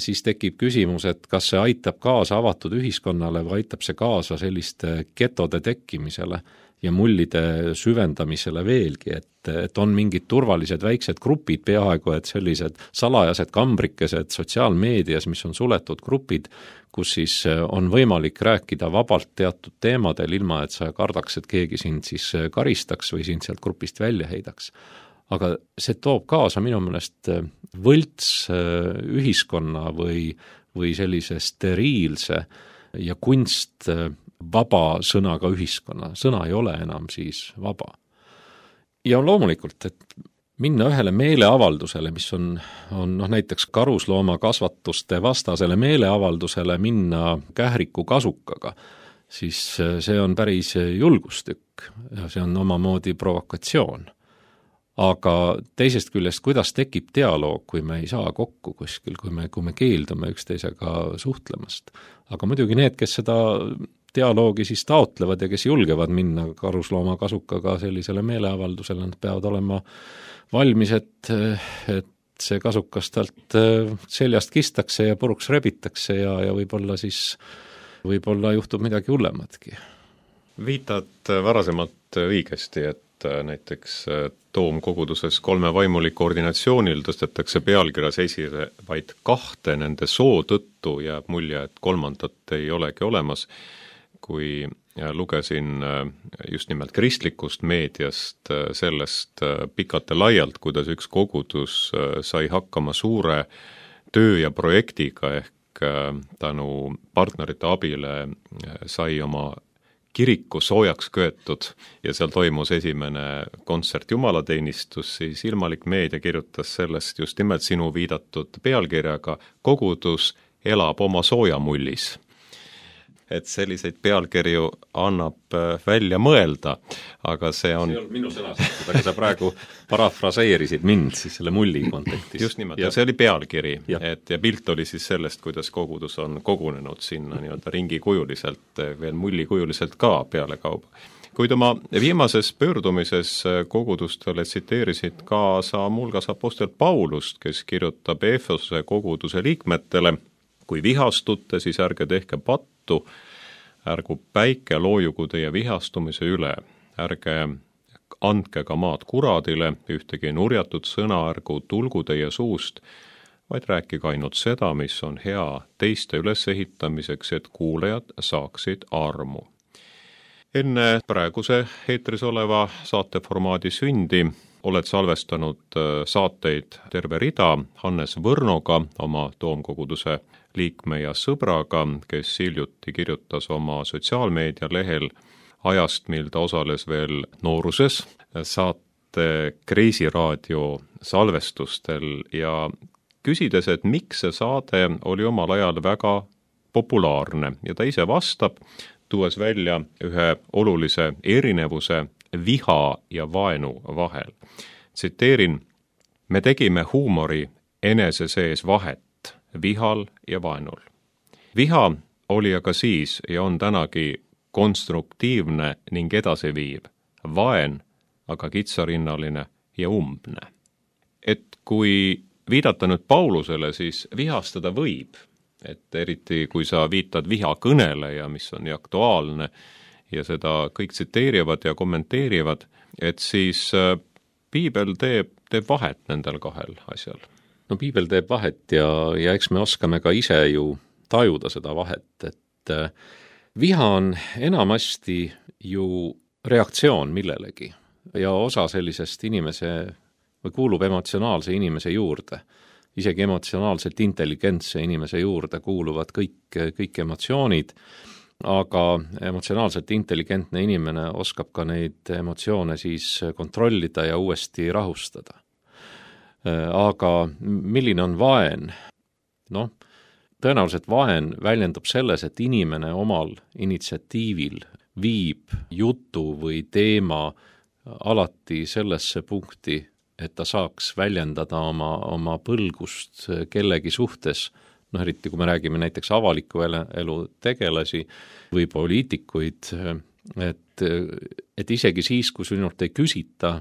siis tekib küsimus, et kas see aitab kaasa avatud ühiskonnale või aitab see kaasa selliste getode tekkimisele ja mullide süvendamisele veelgi, et, et on mingid turvalised väiksed grupid peaaegu, et sellised salajased kambrikesed sotsiaalmeedias, mis on suletud grupid, kus siis on võimalik rääkida vabalt teatud teemadel, ilma et sa kardaks, et keegi sind siis karistaks või sind sealt grupist välja heidaks. Aga see toob kaasa minu meelest võlts ühiskonna või, või sellise steriilse ja kunst vaba sõnaga ühiskonna. Sõna ei ole enam siis vaba. Ja loomulikult, et minna ühele meeleavaldusele, mis on, on noh, näiteks karuslooma kasvatuste vastasele meeleavaldusele minna kähriku kasukaga, siis see on päris julgustükk ja see on omamoodi provokatsioon. Aga teisest küljest, kuidas tekib dialoog, kui me ei saa kokku kuskil, kui me, kui me keeldume üksteisega suhtlemast. Aga muidugi need, kes seda dialoogi siis taotlevad ja kes julgevad minna karuslooma kasukaga sellisele meeleavaldusele, nad peavad olema valmis, et, et see kasukas talt seljast kistakse ja puruks rebitakse ja, ja võib-olla siis võib-olla juhtub midagi hullematki. Viitad varasemalt õigesti, et näiteks Toomkoguduses kolme vaimuliku ordinatsioonil tõstetakse pealkirjas esile vaid kahte, nende soo tõttu jääb mulje, et kolmandat ei olegi olemas. Kui lugesin just nimelt kristlikust meediast sellest pikalt ja laialt, kuidas üks kogudus sai hakkama suure töö ja projektiga ehk tänu partnerite abile sai oma kiriku soojaks köetud ja seal toimus esimene kontsert jumalateenistus, siis Ilmalik Meedia kirjutas sellest just nimelt sinu viidatud pealkirjaga Kogudus elab oma soojamullis. Et selliseid pealkirju annab välja mõelda, aga see on... See ei olnud minu sõnastus, aga sa praegu parafraseerisid mind siis selle mulli kontekstis. Just nimelt, ja see oli pealkiri, ja. Et ja pilt oli siis sellest, kuidas kogudus on kogunenud sinna nii-öelda ringikujuliselt, veel mullikujuliselt ka peale kauba. Kuid oma viimases pöördumises kogudustele tsiteerisid ka sa mulgas apostel Paulust, kes kirjutab Efesuse koguduse liikmetele, kui vihastute, siis ärge tehke pattu, ärgu päike loojugu teie vihastumise üle, ärge andke ka maad kuradile, ühtegi nurjatud sõna ärgu tulgu teie suust, vaid rääkige ainult seda, mis on hea teiste ülesehitamiseks, et kuulajad saaksid armu. Enne praeguse eetris oleva saateformaadi sündi oled salvestanud saateid terve rida Hannes Võrnoga, oma Toomkoguduse liikme ja sõbraga, kes hiljuti kirjutas oma sotsiaalmeedia lehel ajast, mil ta osales veel nooruses saate Kreisiraadio salvestustel ja küsides, et miks see saade oli omal ajal väga populaarne ja ta ise vastab, tuues välja ühe olulise erinevuse viha ja vaenu vahel. Tsiteerin, me tegime huumori enese sees vahet vihal ja vaenul. Viha oli aga siis ja on tänagi konstruktiivne ning edasiviiv, vaen aga kitsarinnaline ja umbne. Et kui viidata nüüd Paulusele, siis vihastada võib, et eriti kui sa viitad vihakõnele ja mis on nii aktuaalne ja seda kõik tsiteerivad ja kommenteerivad, et siis piibel teeb, teeb vahet nendel kahel asjal. No piibel teeb vahet ja, ja eks me oskame ka ise ju tajuda seda vahet, et viha on enamasti ju reaktsioon millelegi ja osa sellisest inimese või kuulub emotsionaalse inimese juurde. Isegi emotsionaalselt intelligentse inimese juurde kuuluvad kõik, kõik emotsioonid, aga emotsionaalselt intelligentne inimene oskab ka neid emotsioone siis kontrollida ja uuesti rahustada. Aga milline on vaen? Noh, tõenäoliselt vaen väljendub selles, et inimene omal initsiatiivil viib jutu või teema alati sellesse punkti, et ta saaks väljendada oma, oma põlgust kellegi suhtes, noh eriti kui me räägime näiteks avaliku elu tegelasi või poliitikuid, et, et isegi siis, kui sinult ei küsita,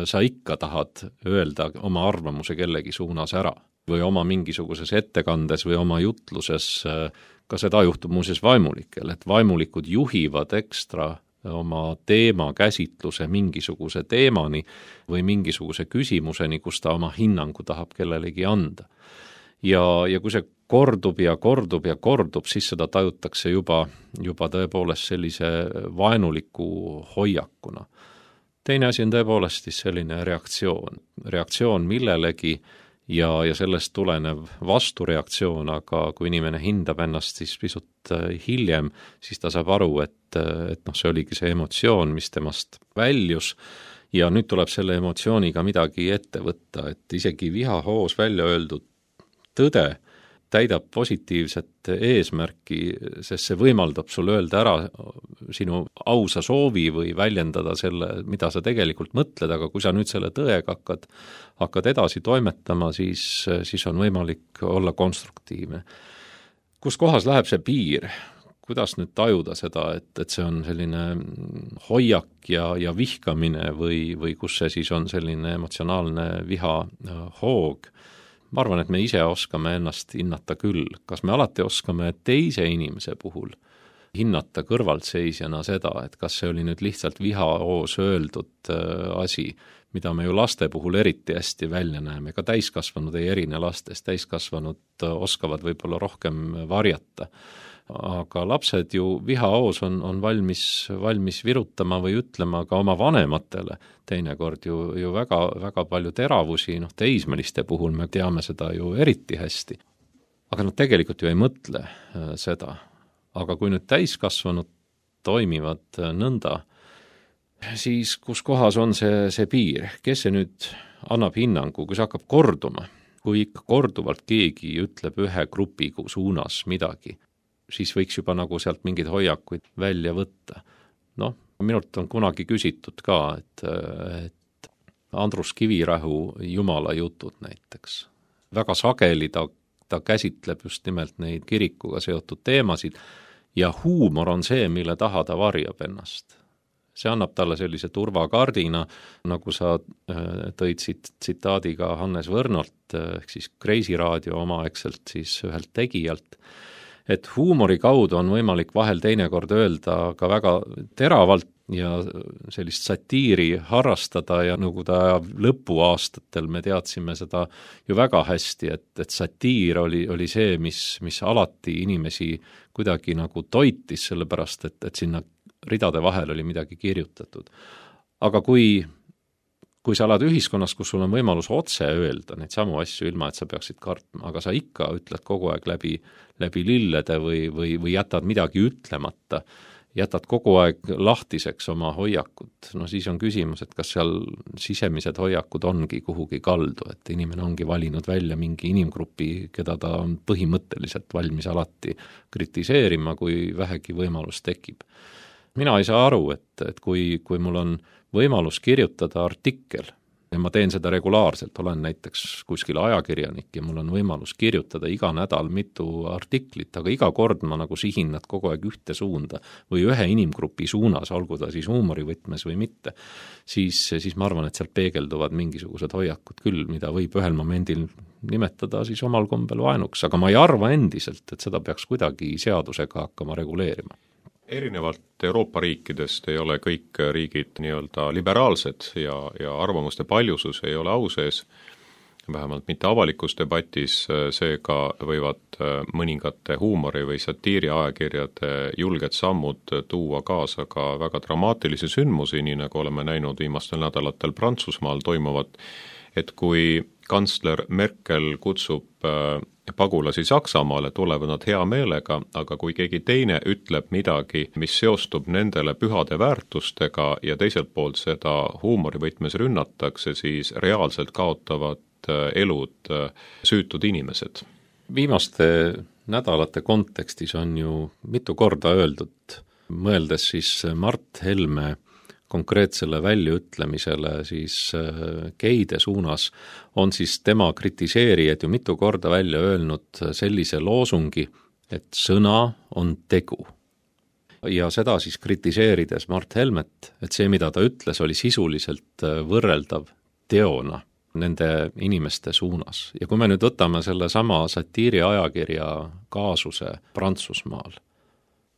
sa ikka tahad öelda oma arvamuse kellegi suunas ära või oma mingisuguses ettekandes või oma jutluses, ka seda juhtub muuseas vaimulikel, et vaimulikud juhivad ekstra oma teema käsitluse mingisuguse teemani või mingisuguse küsimuseni, kus ta oma hinnangu tahab kellelegi anda. Ja, ja kui see kordub ja kordub ja kordub, siis seda tajutakse juba, juba tõepoolest sellise vaenuliku hoiakuna. Teine asi on tõepoolest siis selline reaktsioon, reaktsioon millelegi ja, ja sellest tulenev vastureaktsioon, aga kui inimene hindab ennast siis pisut hiljem, siis ta saab aru, et, et noh, see oligi see emotsioon, mis temast väljus ja nüüd tuleb selle emotsiooniga midagi ette võtta, et isegi vihahoos välja öeldud tõde täidab positiivset eesmärki, sest see võimaldab sul öelda ära sinu ausa soovi või väljendada selle, mida sa tegelikult mõtled, aga kui sa nüüd selle tõega hakkad, hakkad edasi toimetama, siis, siis on võimalik olla konstruktiivne. Kus kohas läheb see piir? Kuidas nüüd tajuda seda, et, et see on selline hoiak ja, ja vihkamine või, või kus see siis on selline emotsionaalne viha hoog? Ma arvan, et me ise oskame ennast hinnata küll. Kas me alati oskame teise inimese puhul hinnata kõrvaltseisjana seda, et kas see oli nüüd lihtsalt vihahoos öeldud asi, mida me ju laste puhul eriti hästi välja näeme, ka täiskasvanud ei erine lastest, täiskasvanud oskavad võib-olla rohkem varjata. Aga lapsed ju vihahoos on, on valmis, valmis virutama või ütlema ka oma vanematele teinekord ju, ju väga, väga palju teravusi, noh teismeliste puhul me teame seda ju eriti hästi. Aga nad tegelikult ju ei mõtle seda. Aga kui nüüd täiskasvanud toimivad nõnda, siis kus kohas on see, see piir, kes see nüüd annab hinnangu, kui see hakkab korduma, kui ikka korduvalt keegi ütleb ühe grupi suunas midagi, siis võiks juba nagu sealt mingeid hoiakuid välja võtta. Noh, minult on kunagi küsitud ka, et, et Andrus Kivirähu Jumala jutud näiteks. Väga sageli ta, ta käsitleb just nimelt neid kirikuga seotud teemasid ja huumor on see, mille taha ta varjab ennast. See annab talle sellise turvakardina, nagu sa tõid siit tsitaadiga Hannes Võrnolt, ehk siis Kreisi raadio omaaegselt siis ühelt tegijalt, et huumori kaudu on võimalik vahel teinekord öelda ka väga teravalt ja sellist satiiri harrastada ja Nõukogude aja lõpuaastatel me teadsime seda ju väga hästi, et, et satiir oli, oli see, mis, mis alati inimesi kuidagi nagu toitis, sellepärast et, et sinna ridade vahel oli midagi kirjutatud. Aga kui kui sa oled ühiskonnas, kus sul on võimalus otse öelda neid samu asju ilma, et sa peaksid kartma, aga sa ikka ütled kogu aeg läbi, läbi lillede või, või, või jätad midagi ütlemata jätad kogu aeg lahtiseks oma hoiakut, no siis on küsimus, et kas seal sisemised hoiakud ongi kuhugi kaldu, et inimene ongi valinud välja mingi inimgrupi, keda ta on põhimõtteliselt valmis alati kritiseerima, kui vähegi võimalus tekib. Mina ei saa aru, et, et kui, kui mul on võimalus kirjutada artikkel, ja ma teen seda regulaarselt, olen näiteks kuskil ajakirjanik ja mul on võimalus kirjutada iga nädal mitu artiklit, aga iga kord ma nagu sihin nad kogu aeg ühte suunda või ühe inimgrupi suunas, olgu ta siis huumorivõtmes või mitte, siis, siis ma arvan, et sealt peegelduvad mingisugused hoiakud küll, mida võib ühel momendil nimetada siis omal kombel vaenuks, aga ma ei arva endiselt, et seda peaks kuidagi seadusega hakkama reguleerima. Erinevalt Euroopa riikidest ei ole kõik riigid nii-öelda liberaalsed ja, ja arvamuste paljusus ei ole au sees, vähemalt mitte avalikus debatis, seega võivad mõningate huumori või satiiri ajakirjade julged sammud tuua kaasa ka väga dramaatilisi sündmusi, nii nagu oleme näinud viimastel nädalatel Prantsusmaal toimuvat, et kui kantsler Merkel kutsub pagulasi Saksamaale, tulevad nad hea meelega, aga kui keegi teine ütleb midagi, mis seostub nendele pühade väärtustega ja teiselt poolt seda huumorivõtmes rünnatakse, siis reaalselt kaotavad elud süütud inimesed. Viimaste nädalate kontekstis on ju mitu korda öeldud, mõeldes siis Mart Helme konkreetsele väljaütlemisele siis geide suunas, on siis tema kritiseerijad ju mitu korda välja öelnud sellise loosungi, et sõna on tegu. Ja seda siis kritiseerides Mart Helmet, et see, mida ta ütles, oli sisuliselt võrreldav teona nende inimeste suunas. Ja kui me nüüd võtame selle sama satiiri ajakirja kaasuse Prantsusmaal,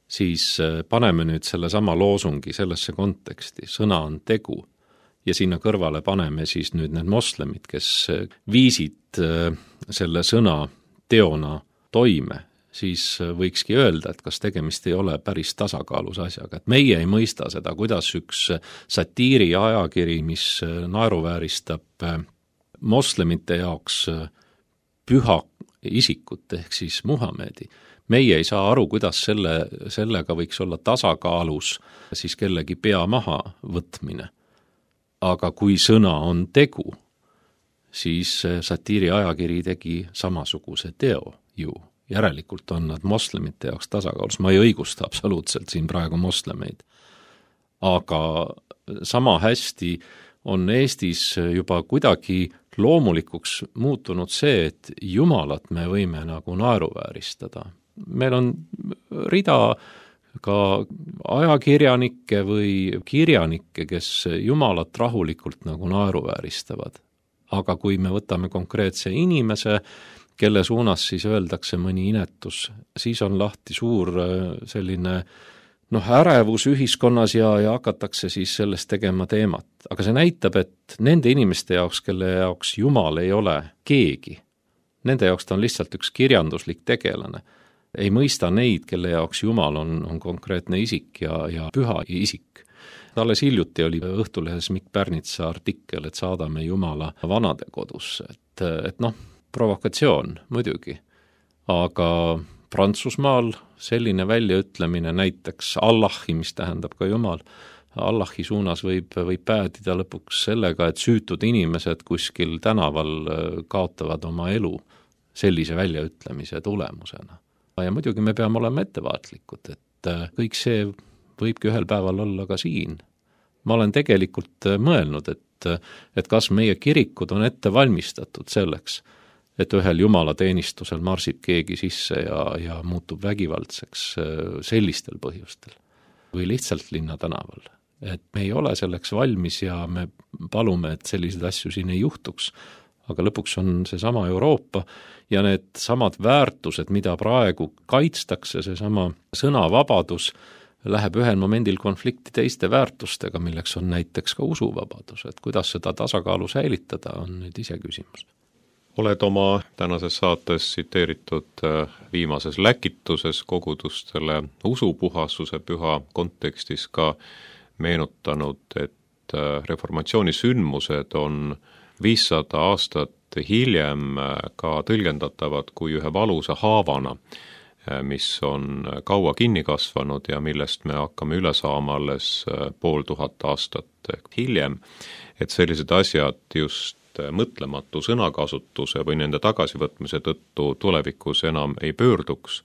siis paneme nüüd selle sama loosungi sellesse konteksti, sõna on tegu, ja sinna kõrvale paneme siis nüüd need moslemid, kes viisid selle sõna teona toime, siis võikski öelda, et kas tegemist ei ole päris tasakaalus asjaga, et meie ei mõista seda, kuidas üks satiiri ajakiri, mis naeruvääristab moslemite jaoks püha isikut ehk siis Muhamedi, meie ei saa aru, kuidas selle, sellega võiks olla tasakaalus siis kellegi pea maha võtmine. Aga kui sõna on tegu, siis satiiri ajakiri tegi samasuguse teo ju. Järelikult on nad moslemite jaoks tasakaalus. Ma ei õigusta absoluutselt siin praegu moslemeid. Aga sama hästi on Eestis juba kuidagi loomulikuks muutunud see, et jumalat me võime nagu naeruvääristada. Meil on rida ka ajakirjanikke või kirjanikke, kes jumalat rahulikult nagu naeruvääristavad. Aga kui me võtame konkreetse inimese, kelle suunas siis öeldakse mõni inetus, siis on lahti suur selline noh, ärevus ühiskonnas ja, ja hakatakse siis sellest tegema teemat. Aga see näitab, et nende inimeste jaoks, kelle jaoks Jumal ei ole keegi, nende jaoks ta on lihtsalt üks kirjanduslik tegelane. Ei mõista neid, kelle jaoks Jumal on, on konkreetne isik ja, ja püha isik. Alles hiljuti oli Õhtulehes Mikk Pärnitsa artikkel, et saadame Jumala vanadekodusse. Et, et noh, provokatsioon muidugi, aga Prantsusmaal selline väljaütlemine näiteks Allahi, mis tähendab ka Jumal, Allahi suunas võib, võib päädida lõpuks sellega, et süütud inimesed kuskil tänaval kaotavad oma elu sellise väljaütlemise tulemusena. Ja muidugi me peame olema ettevaatlikud, et kõik see võibki ühel päeval olla ka siin. Ma olen tegelikult mõelnud, et, et kas meie kirikud on ette valmistatud selleks, et ühel jumalateenistusel marsib keegi sisse ja, ja muutub vägivaldseks sellistel põhjustel või lihtsalt linnatänaval. Et me ei ole selleks valmis ja me palume, et selliseid asju siin ei juhtuks, aga lõpuks on see sama Euroopa ja need samad väärtused, mida praegu kaitstakse, see sama sõnavabadus läheb ühel momendil konflikti teiste väärtustega, milleks on näiteks ka usuvabadus, et kuidas seda tasakaalu säilitada, on nüüd ise küsimus. Oled oma tänases saates tsiteeritud viimases läkituses kogudustele usupuhasuse püha kontekstis ka meenutanud, et reformatsiooni sündmused on viissada aastat hiljem ka tõlgendatavad kui ühe valusa haavana mis on kaua kinni kasvanud ja millest me hakkame üle saama alles pool tuhat aastat hiljem, et sellised asjad just mõtlematu sõnakasutuse või nende tagasivõtmise tõttu tulevikus enam ei pöörduks.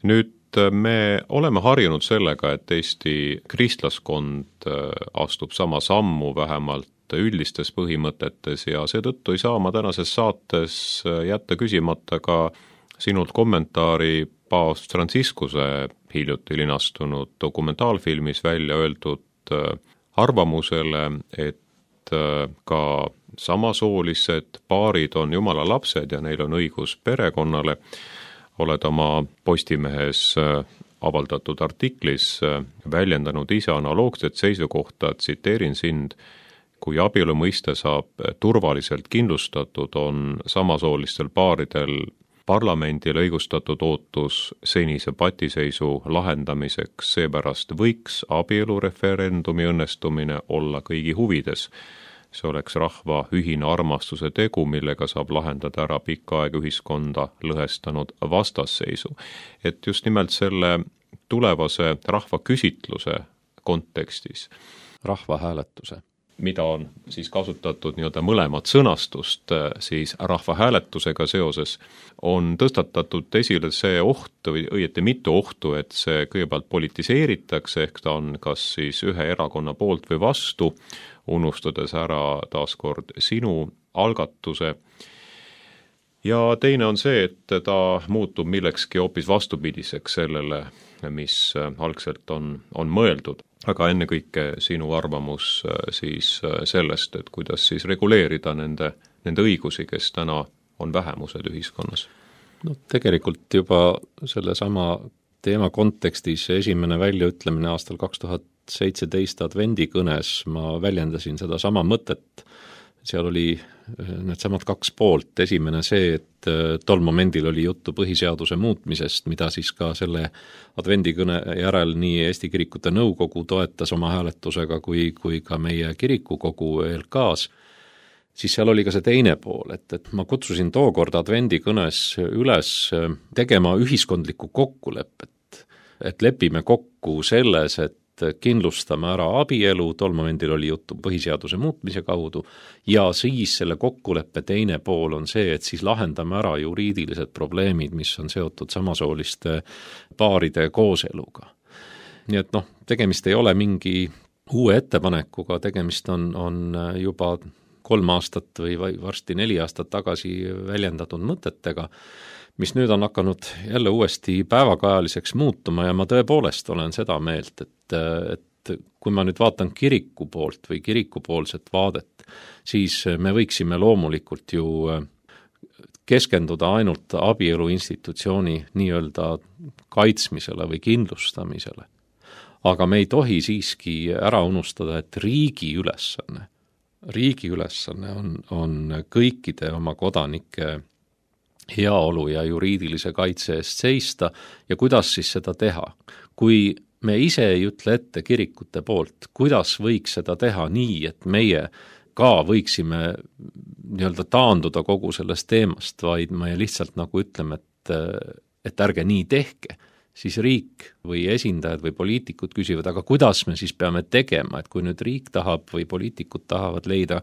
Nüüd me oleme harjunud sellega, et Eesti kristlaskond astub sama sammu vähemalt üldistes põhimõtetes ja seetõttu ei saa ma tänases saates jätta küsimata ka sinult kommentaari paavst Franciscuse hiljuti linastunud dokumentaalfilmis välja öeldud arvamusele, et ka samasoolised paarid on Jumala lapsed ja neil on õigus perekonnale. Oled oma Postimehes avaldatud artiklis väljendanud ise analoogset seisukohta, tsiteerin sind, kui abielu mõiste saab turvaliselt kindlustatud, on samasoolistel paaridel parlamendil õigustatud ootus senise patiseisu lahendamiseks, seepärast võiks abielureferendumi õnnestumine olla kõigi huvides. See oleks rahva ühine armastuse tegu, millega saab lahendada ära pikka aega ühiskonda lõhestanud vastasseisu. Et just nimelt selle tulevase rahvaküsitluse kontekstis, rahvahääletuse, mida on siis kasutatud nii-öelda mõlemat sõnastust siis rahvahääletusega seoses, on tõstatatud esile see oht või õieti mitu ohtu, et see kõigepealt politiseeritakse, ehk ta on kas siis ühe erakonna poolt või vastu, unustades ära taaskord sinu algatuse. Ja teine on see, et ta muutub millekski hoopis vastupidiseks sellele, mis algselt on, on mõeldud. Aga ennekõike sinu arvamus siis sellest, et kuidas siis reguleerida nende, nende õigusi, kes täna on vähemused ühiskonnas. No tegelikult juba selle sama teema kontekstis esimene väljaütlemine aastal kaks tuhat seitseteist advendikõnes ma väljendasin seda sama mõtet. Seal oli need samad kaks poolt. Esimene see, et tol momendil oli juttu põhiseaduse muutmisest, mida siis ka selle advendikõne järel nii Eesti Kirikute Nõukogu toetas oma hääletusega kui, kui ka meie kirikukogu E L K-s. Siis seal oli ka see teine pool, et, et ma kutsusin tookord advendikõnes üles tegema ühiskondlikku kokkulepet, et lepime kokku selles, et kindlustame ära abielu, tol momendil oli juttu põhiseaduse muutmise kaudu, ja siis selle kokkuleppe teine pool on see, et siis lahendame ära juriidilised probleemid, mis on seotud samasooliste paaride kooseluga. Nii et noh, tegemist ei ole mingi uue ettepanekuga, tegemist on, on juba kolm aastat või varsti neli aastat tagasi väljendatud mõtetega, mis nüüd on hakanud jälle uuesti päevakajaliseks muutuma ja ma tõepoolest olen seda meelt, et, et kui ma nüüd vaatan kiriku poolt või kirikupoolset vaadet, siis me võiksime loomulikult ju keskenduda ainult abielu institutsiooni nii-öelda kaitsmisele või kindlustamisele. Aga me ei tohi siiski ära unustada, et riigi ülesanne, riigi ülesanne on, on kõikide oma kodanike heaolu ja juriidilise kaitse eest seista ja kuidas siis seda teha. Kui me ise ei ütle ette kirikute poolt, kuidas võiks seda teha nii, et meie ka võiksime nii-öelda taanduda kogu sellest teemast, vaid me lihtsalt nagu ütleme, et, et ärge nii tehke, siis riik või esindajad või poliitikud küsivad, aga kuidas me siis peame tegema, et kui nüüd riik tahab või poliitikud tahavad leida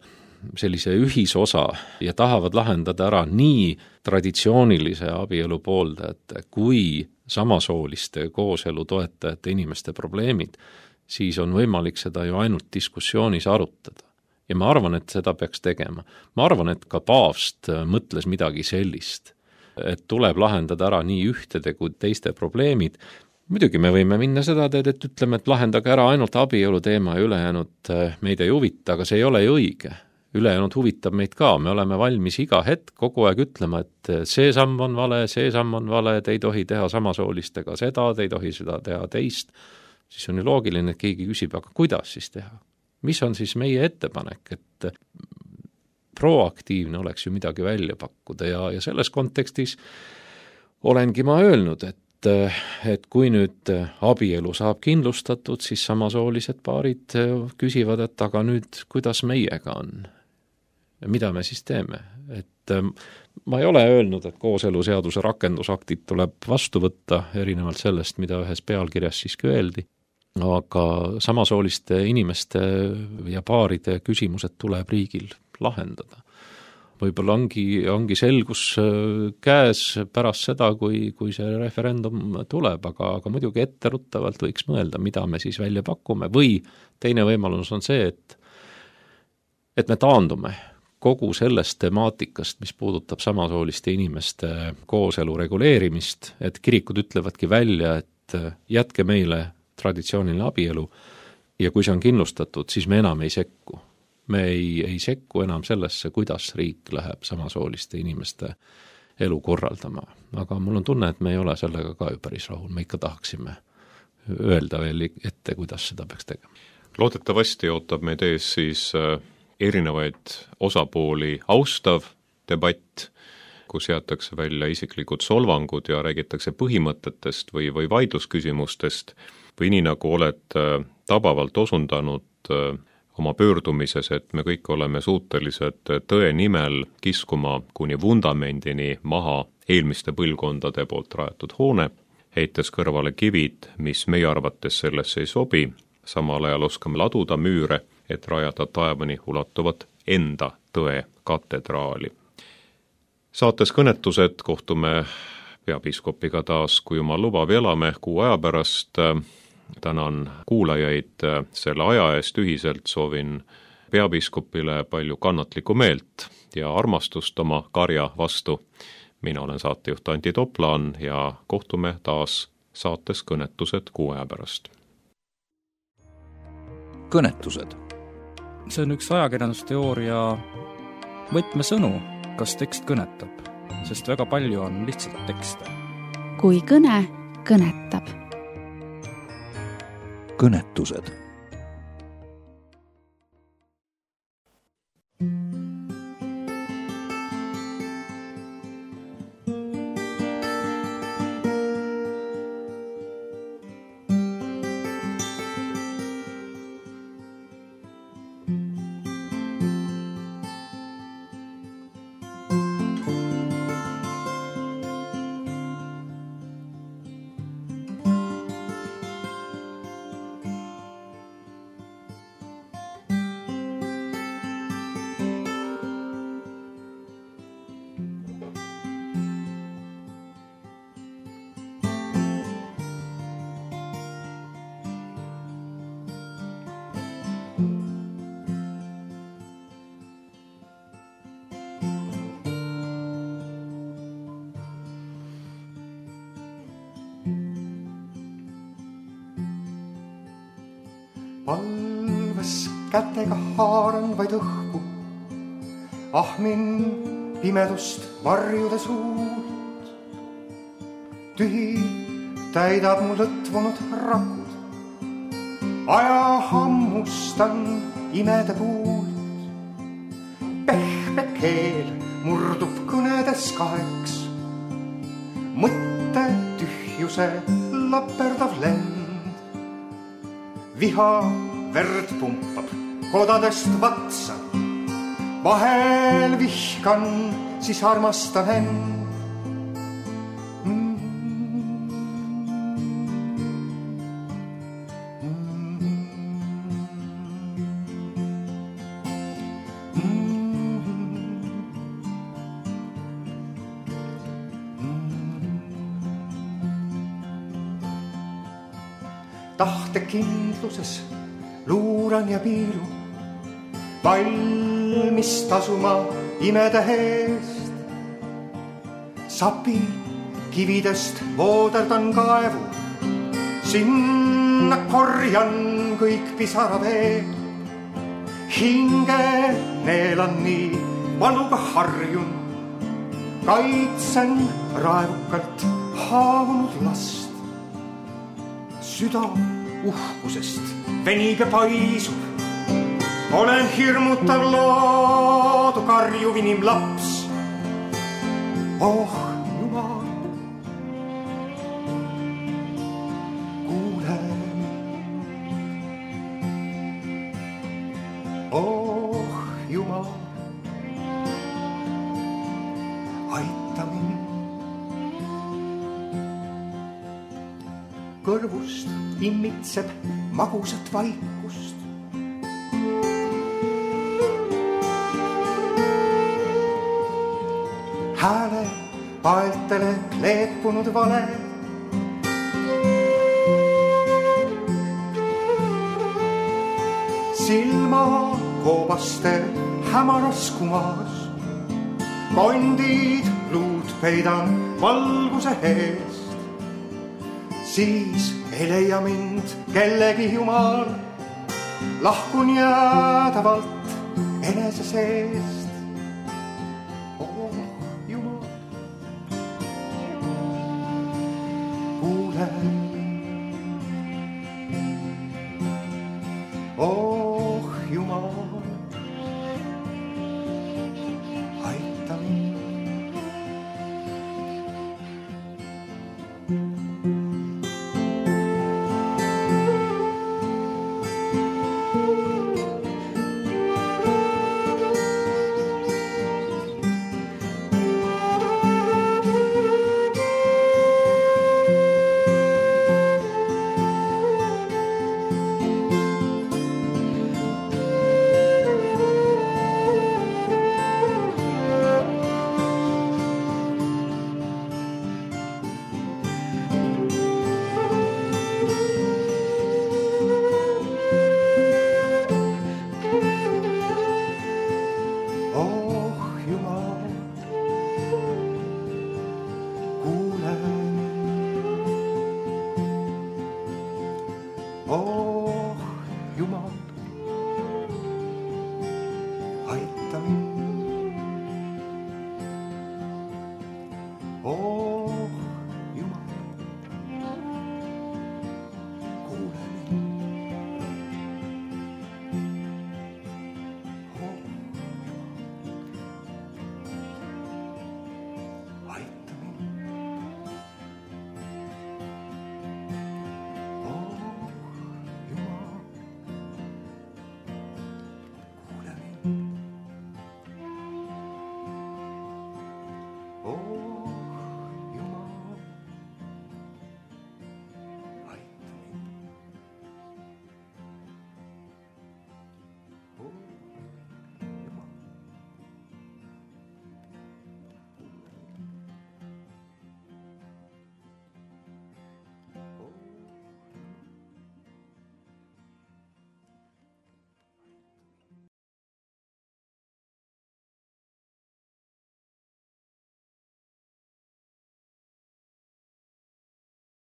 sellise ühisosa ja tahavad lahendada ära nii traditsioonilise abielu pooldajate kui samasooliste kooselu toetajate inimeste probleemid, siis on võimalik seda ju ainult diskussioonis arutada. Ja ma arvan, et seda peaks tegema. Ma arvan, et ka paavst mõtles midagi sellist, et tuleb lahendada ära nii ühtede kui teiste probleemid. Muidugi me võime minna seda teed, et ütleme, et lahendage ära ainult abielu teema ja ülejäänud meid ei huvita, aga see ei ole ju õige. Ülejäänud huvitab meid ka, me oleme valmis iga hetk kogu aeg ütlema, et see samm on vale, see samm on vale, te ei tohi teha samasoolistega seda, te ei tohi seda teha teist. Siis on ju loogiline, et keegi küsib, aga kuidas siis teha? Mis on siis meie ettepanek, et proaktiivne oleks ju midagi välja pakkuda ja, ja selles kontekstis olengi ma öelnud, et et kui nüüd abielu saab kindlustatud, siis samasoolised paarid küsivad, et aga nüüd kuidas meiega on? mida me siis teeme? Et ma ei ole öelnud, et kooseluseaduse rakendusaktid tuleb vastu võtta, erinevalt sellest, mida ühes pealkirjas siiski öeldi, aga samasooliste inimeste ja paaride küsimused tuleb riigil lahendada. Võib-olla ongi, ongi selgus käes pärast seda, kui, kui see referendum tuleb, aga, aga muidugi etteruttavalt võiks mõelda, mida me siis välja pakume, või teine võimalus on see, et, et me taandume kogu sellest temaatikast, mis puudutab samasooliste inimeste kooselu reguleerimist, et kirikud ütlevadki välja, et jätke meile traditsiooniline abielu ja kui see on kindlustatud, siis me enam ei sekku. Me ei, ei sekku enam sellesse, kuidas riik läheb samasooliste inimeste elu korraldama. Aga mul on tunne, et me ei ole sellega ka ju päris rahul. Me ikka tahaksime öelda veel ette, kuidas seda peaks tegema. Loodetavasti ootab meid ees siis erinevaid osapooli austav debatt, kus jäetakse välja isiklikud solvangud ja räägitakse põhimõtetest või, või vaidlusküsimustest, või nii nagu oled tabavalt osundanud oma pöördumises, et me kõik oleme suutelised tõe nimel kiskuma kuni vundamendini maha eelmiste põlvkondade poolt rajatud hoone, heites kõrvale kivid, mis meie arvates sellesse ei sobi, samal ajal oskame laduda müüre, et rajada taevani ulatuvat enda tõe katedraali. Saates kõnetused kohtume peapiiskopiga taas, kui jumal lubab, elame kuu aja pärast. Tänan kuulajaid selle aja eest ühiselt, soovin peapiiskopile palju kannatlikku meelt ja armastust oma karja vastu. Mina olen saatejuht Antti Toplaan ja kohtume taas saates kõnetused kuu aja pärast. Kõnetused. See on üks ajakirjandusteooria võtmesõnu, kas tekst kõnetab, sest väga palju on lihtsalt tekste. Kui kõne kõnetab. Kõnetused. Palves kätega haaran vaid õhku, ahmin pimedust varjude suult. Tühi täidab mu lõtvunud rakud, aja hammustan imede puult. Pehme keel murdub kõnedes kaheks, mõtte tühjuse laperdav lend. Viha verd pumpab kodadest vatsa, vahel vihkan, siis armastan end. Mm. Tahtekindluses luuran ja piilu, valmis tasuma imede eest. Sapi kividest vooderdan kaevu, sinna korjan kõik pisaraveed. Hinge neelan nii valuga harjun, kaitsen raevukalt haavunud last. Süda uhkusest venige paisub, olen hirmutav loodu karjuv inimlaps. Oh Jumal, kuule mind. Oh Jumal, kõrvust immitseb magusat vaikust. Hääle paeltele kleepunud vale. Silma koobaste hämaras kumas. Kondid luud peidan valguse eest. Siis ei leia mind kellegi jumal. Lahkun jäädavalt enese seest. Oh Jumal, aita mind. Oh